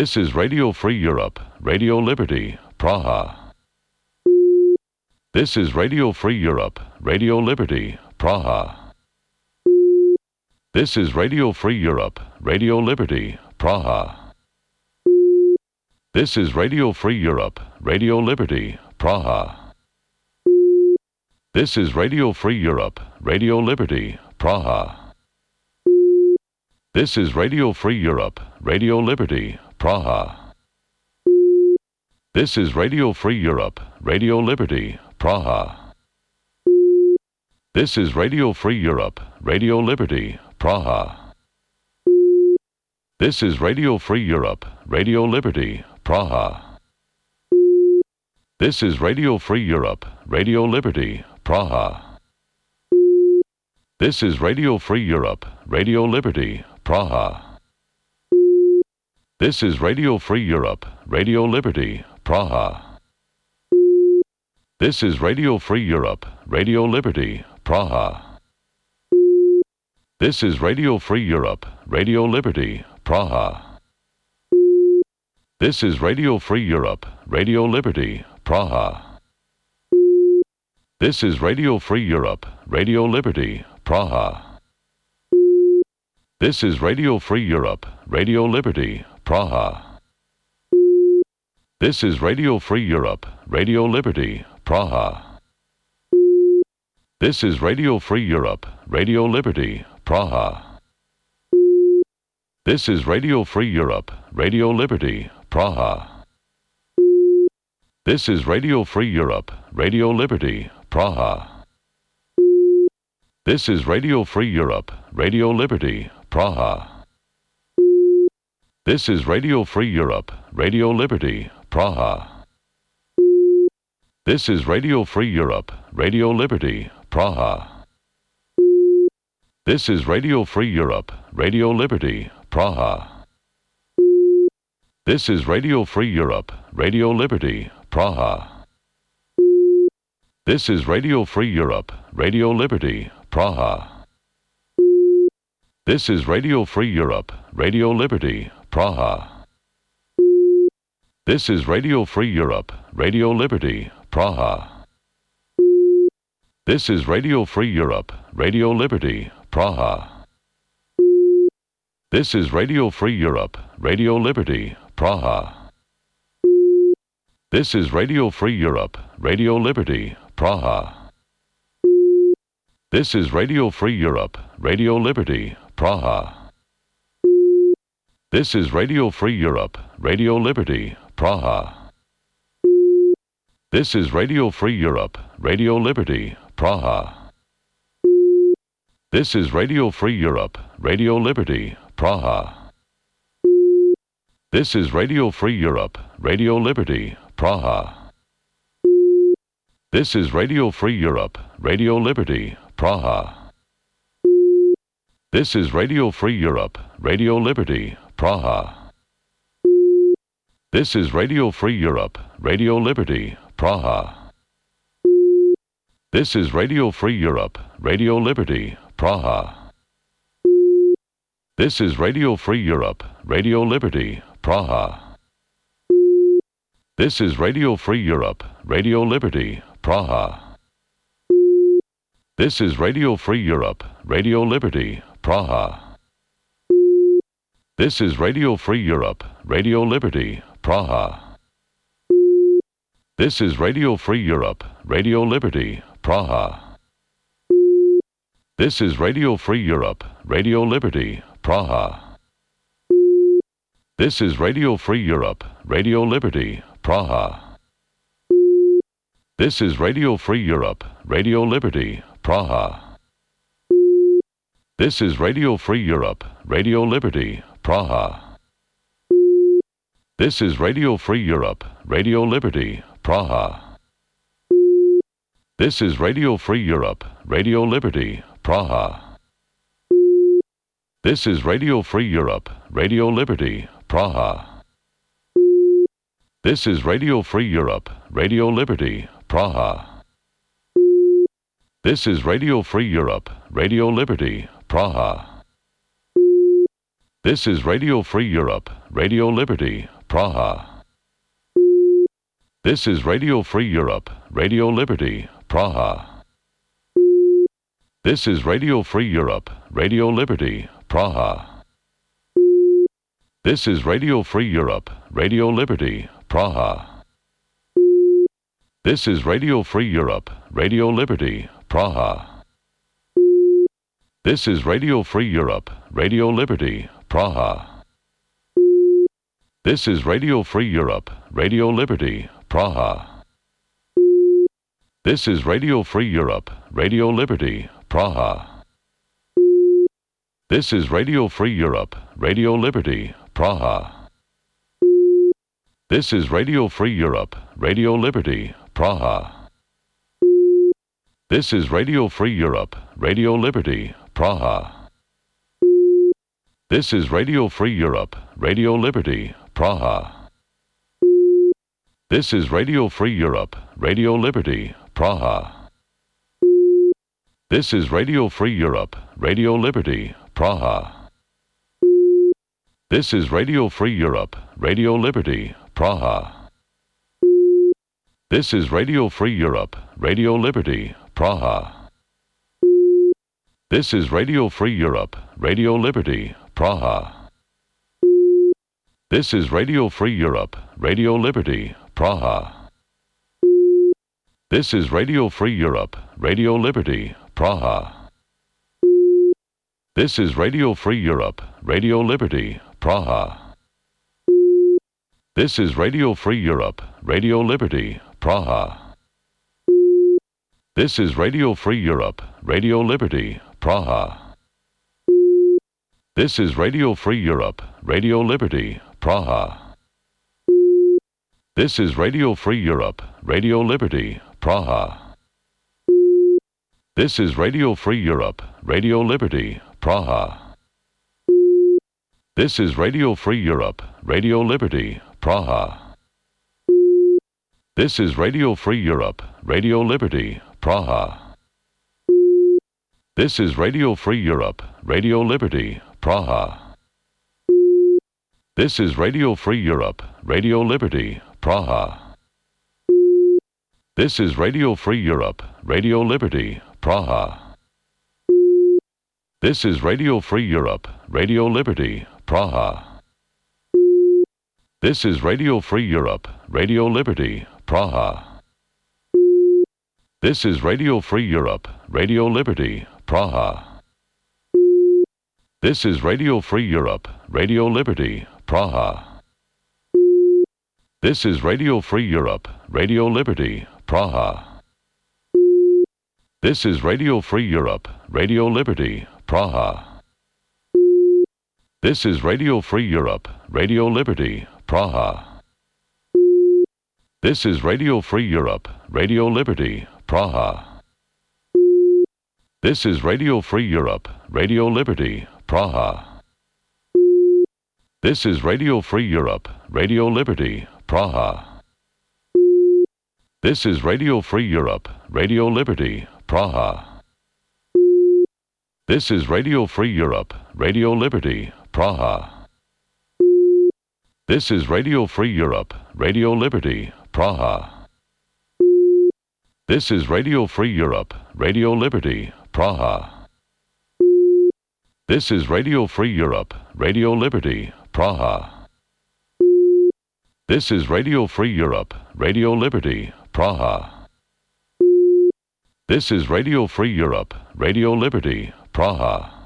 This is Radio Free Europe, Radio Liberty, Praha. This is Radio Free Europe, Radio Liberty, Praha. This is Radio Free Europe, Radio Liberty, Praha. This is Radio Free Europe, Radio Liberty, Praha. This is Radio Free Europe, Radio Liberty, Praha. This is Radio Free Europe, Radio Liberty, Praha. This is Radio Free Europe, Radio Liberty, Praha. This is Radio Free Europe, Radio Liberty, Praha. This is Radio Free Europe, Radio Liberty, Praha. This is Radio Free Europe, Radio Liberty, Praha. This is Radio Free Europe, Radio Liberty, Praha. This is Radio Free Europe, Radio Liberty, Praha. This is Radio Free Europe, Radio Liberty, Praha. This is Radio Free Europe, Radio Liberty, Praha. This is Radio Free Europe, Radio Liberty, Praha. This is Radio Free Europe, Radio Liberty, Praha. This is Radio Free Europe, Radio Liberty, Praha. This is Radio Free Europe, Radio Liberty, Praha. This is Radio Free Europe, Radio Liberty, Praha. This is Radio Free Europe, Radio Liberty, Praha. This is Radio Free Europe, Radio Liberty, Praha. This is Radio Free Europe, Radio Liberty, Praha. This is Radio Free Europe, Radio Liberty, Praha. This is Radio Free Europe, Radio Liberty, Praha. This is Radio Free Europe, Radio Liberty, Praha. This is Radio Free Europe, Radio Liberty, Praha. This is Radio Free Europe, Radio Liberty, Praha. This is Radio Free Europe, Radio Liberty, Praha. This is Radio Free Europe, Radio Liberty, Praha. This is Radio Free Europe, Radio Liberty, Praha. This is Radio Free Europe, Radio Liberty, Praha. This is Radio Free Europe, Radio Liberty, Praha. This is Radio Free Europe, Radio Liberty, Praha. This is Radio Free Europe, Radio Liberty, Praha. This is Radio Free Europe, Radio Liberty, Praha. This is Radio Free Europe, Radio Liberty, Praha. This is Radio Free Europe, Radio Liberty, Praha. This is Radio Free Europe, Radio Liberty, Praha. This is Radio Free Europe, Radio Liberty, Praha. This is Radio Free Europe, Radio Liberty, Praha. This is Radio Free Europe, Radio Liberty, Praha. This is Radio Free Europe, Radio Liberty, Praha. This is Radio Free Europe, Radio Liberty, Praha. This is Radio Free Europe, Radio Liberty, Praha. This is Radio Free Europe, Radio Liberty, Praha. This is Radio Free Europe, Radio Liberty, Praha. This is Radio Free Europe, Radio Liberty, Praha. This is Radio Free Europe, Radio Liberty, Praha. This is Radio Free Europe, Radio Liberty, Praha. This is Radio Free Europe, Radio Liberty, Praha. This is Radio Free Europe, Radio Liberty, Praha. This is Radio Free Europe, Radio Liberty, Praha. This is Radio Free Europe, Radio Liberty, Praha. This is Radio Free Europe, Radio Liberty, Praha. This is Radio Free Europe, Radio Liberty, Praha. This is Radio Free Europe, Radio Liberty, Praha. This is Radio Free Europe, Radio Liberty, Praha. This is Radio Free Europe, Radio Liberty, Praha. This is Radio Free Europe, Radio Liberty, Praha. This is Radio Free Europe, Radio Liberty, Praha. This is Radio Free Europe, Radio Liberty, Praha. This is Radio Free Europe, Radio Liberty, Praha. This is Radio Free Europe, Radio Liberty, Praha. This is Radio Free Europe, Radio Liberty, Praha. This is Radio Free Europe, Radio Liberty, Praha. This is Radio Free Europe, Radio Liberty, Praha. This is Radio Free Europe, Radio Liberty, Praha. This is Radio Free Europe, Radio Liberty, Praha. This is Radio Free Europe, Radio Liberty, Praha. This is Radio Free Europe, Radio Liberty, Praha. This is Radio Free Europe, Radio Liberty, Praha. This is Radio Free Europe, Radio Liberty, Praha. This is Radio Free Europe, Radio Liberty, Praha. This is Radio Free Europe, Radio Liberty, Praha. This is Radio Free Europe, Radio Liberty, Praha. This is Radio Free Europe, Radio Liberty, Praha. This is Radio Free Europe, Radio Liberty, Praha. This is Radio Free Europe, Radio Liberty, Praha. This is Radio Free Europe, Radio Liberty, Praha. This is Radio Free Europe, Radio Liberty, Praha. This is Radio Free Europe, Radio Liberty, Praha. This is Radio Free Europe, Radio Liberty, Praha. This is Radio Free Europe, Radio Liberty, Praha. This is Radio Free Europe, Radio Liberty, Praha. This is Radio Free Europe, Radio Liberty, Praha. This is Radio Free Europe, Radio Liberty, Praha. This is Radio Free Europe, Radio Liberty, Praha. This is Radio Free Europe, Radio Liberty, Praha. This is Radio Free Europe, Radio Liberty, Praha. This is Radio Free Europe, Radio Liberty, Praha. This is Radio Free Europe, Radio Liberty, Praha. This is Radio Free Europe, Radio Liberty, Praha. This is Radio Free Europe, Radio Liberty, Praha. This is Radio Free Europe, Radio Liberty, Praha. This is Radio Free Europe, Radio Liberty, Praha. This is Radio Free Europe, Radio Liberty, Praha. This is Radio Free Europe, Radio Liberty, Praha. This is Radio Free Europe, Radio Liberty, Praha. This is Radio Free Europe, Radio Liberty, Praha. This is Radio Free Europe, Radio Liberty, Praha. This is Radio Free Europe, Radio Liberty, Praha. This is Radio Free Europe, Radio Liberty, Praha. This is Radio Free Europe, Radio Liberty, Praha.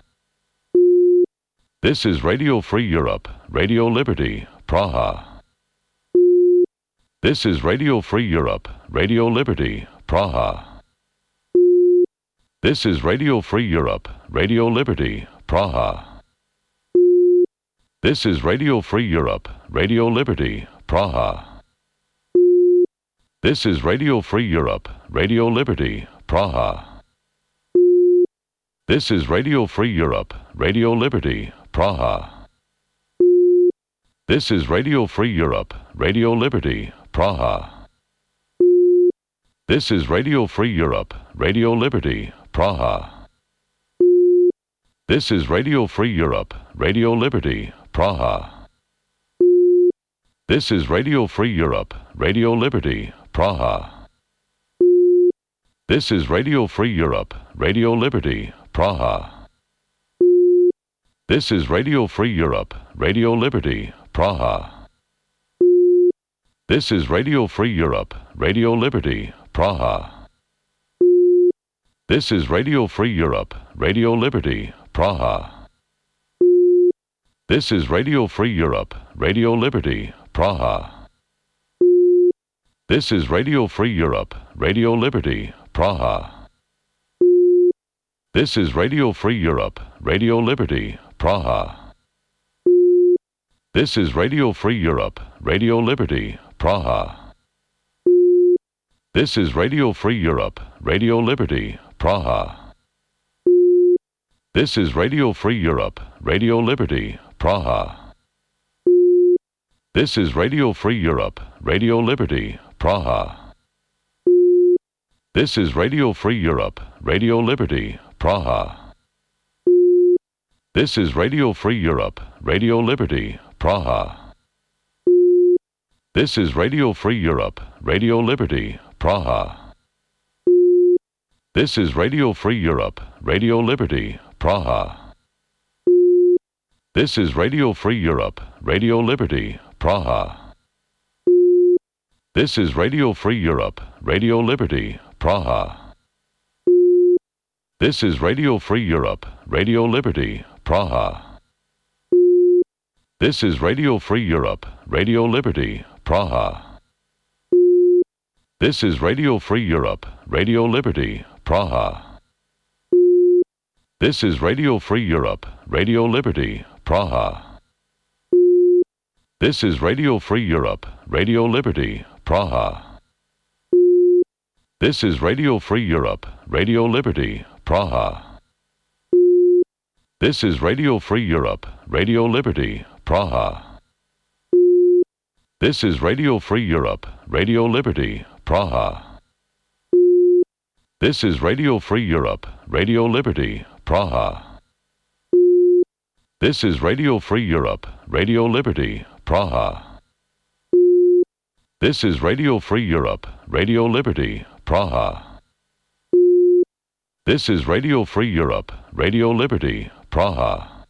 This is Radio Free Europe, Radio Liberty, Praha. This is Radio Free Europe, Radio Liberty, Praha. This is Radio Free Europe, Radio Liberty, Praha. This is Radio Free Europe, Radio Liberty, Praha. This is Radio Free Europe, Radio Liberty, Praha. This is Radio Free Europe, Radio Liberty, Praha. This is Radio Free Europe, Radio Liberty, Praha. This is Radio Free Europe, Radio Liberty, Praha. This is Radio Free Europe, Radio Liberty, Praha. This is Radio Free Europe, Radio Liberty, Praha. This is Radio Free Europe, Radio Liberty, Praha. This is Radio Free Europe, Radio Liberty, Praha. This is Radio Free Europe, Radio Liberty, Praha. This is Radio Free Europe, Radio Liberty, Praha. This is Radio Free Europe, Radio Liberty, Praha. This is Radio Free Europe, Radio Liberty, Praha. This is Radio Free Europe, Radio Liberty, Praha. This is Radio Free Europe, Radio Liberty, Praha. This is Radio Free Europe, Radio Liberty, Praha. This is Radio Free Europe, Radio Liberty, Praha. This is Radio Free Europe, Radio Liberty, Praha. This is Radio Free Europe, Radio Liberty, Praha. This is Radio Free Europe, Radio Liberty, Praha. This is Radio Free Europe, Radio Liberty, Praha. This is Radio Free Europe, Radio Liberty, Praha. This is Radio Free Europe, Radio Liberty, Praha. This is Radio Free Europe, Radio Liberty, Praha. This is Radio Free Europe, Radio Liberty, Praha. This is Radio Free Europe, Radio Liberty, Praha. This is Radio Free Europe, Radio Liberty, Praha. This is Radio Free Europe, Radio Liberty, Praha. This is Radio Free Europe, Radio Liberty, Praha. This is Radio Free Europe, Radio Liberty, Praha. This is Radio Free Europe, Radio Liberty, Praha. This is Radio Free Europe, Radio Liberty, Praha. This is Radio Free Europe, Radio Liberty, Praha. This is Radio Free Europe, Radio Liberty, Praha. This is Radio Free Europe, Radio Liberty, Praha. This is Radio Free Europe, Radio Liberty, Praha.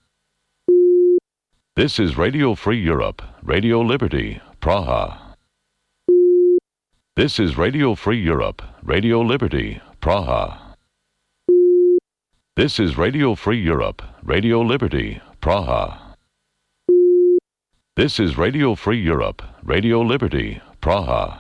This is Radio Free Europe, Radio Liberty, Praha. This is Radio Free Europe, Radio Liberty, Praha. This is Radio Free Europe, Radio Liberty, Praha. This is Radio Free Europe, Radio Liberty, Praha.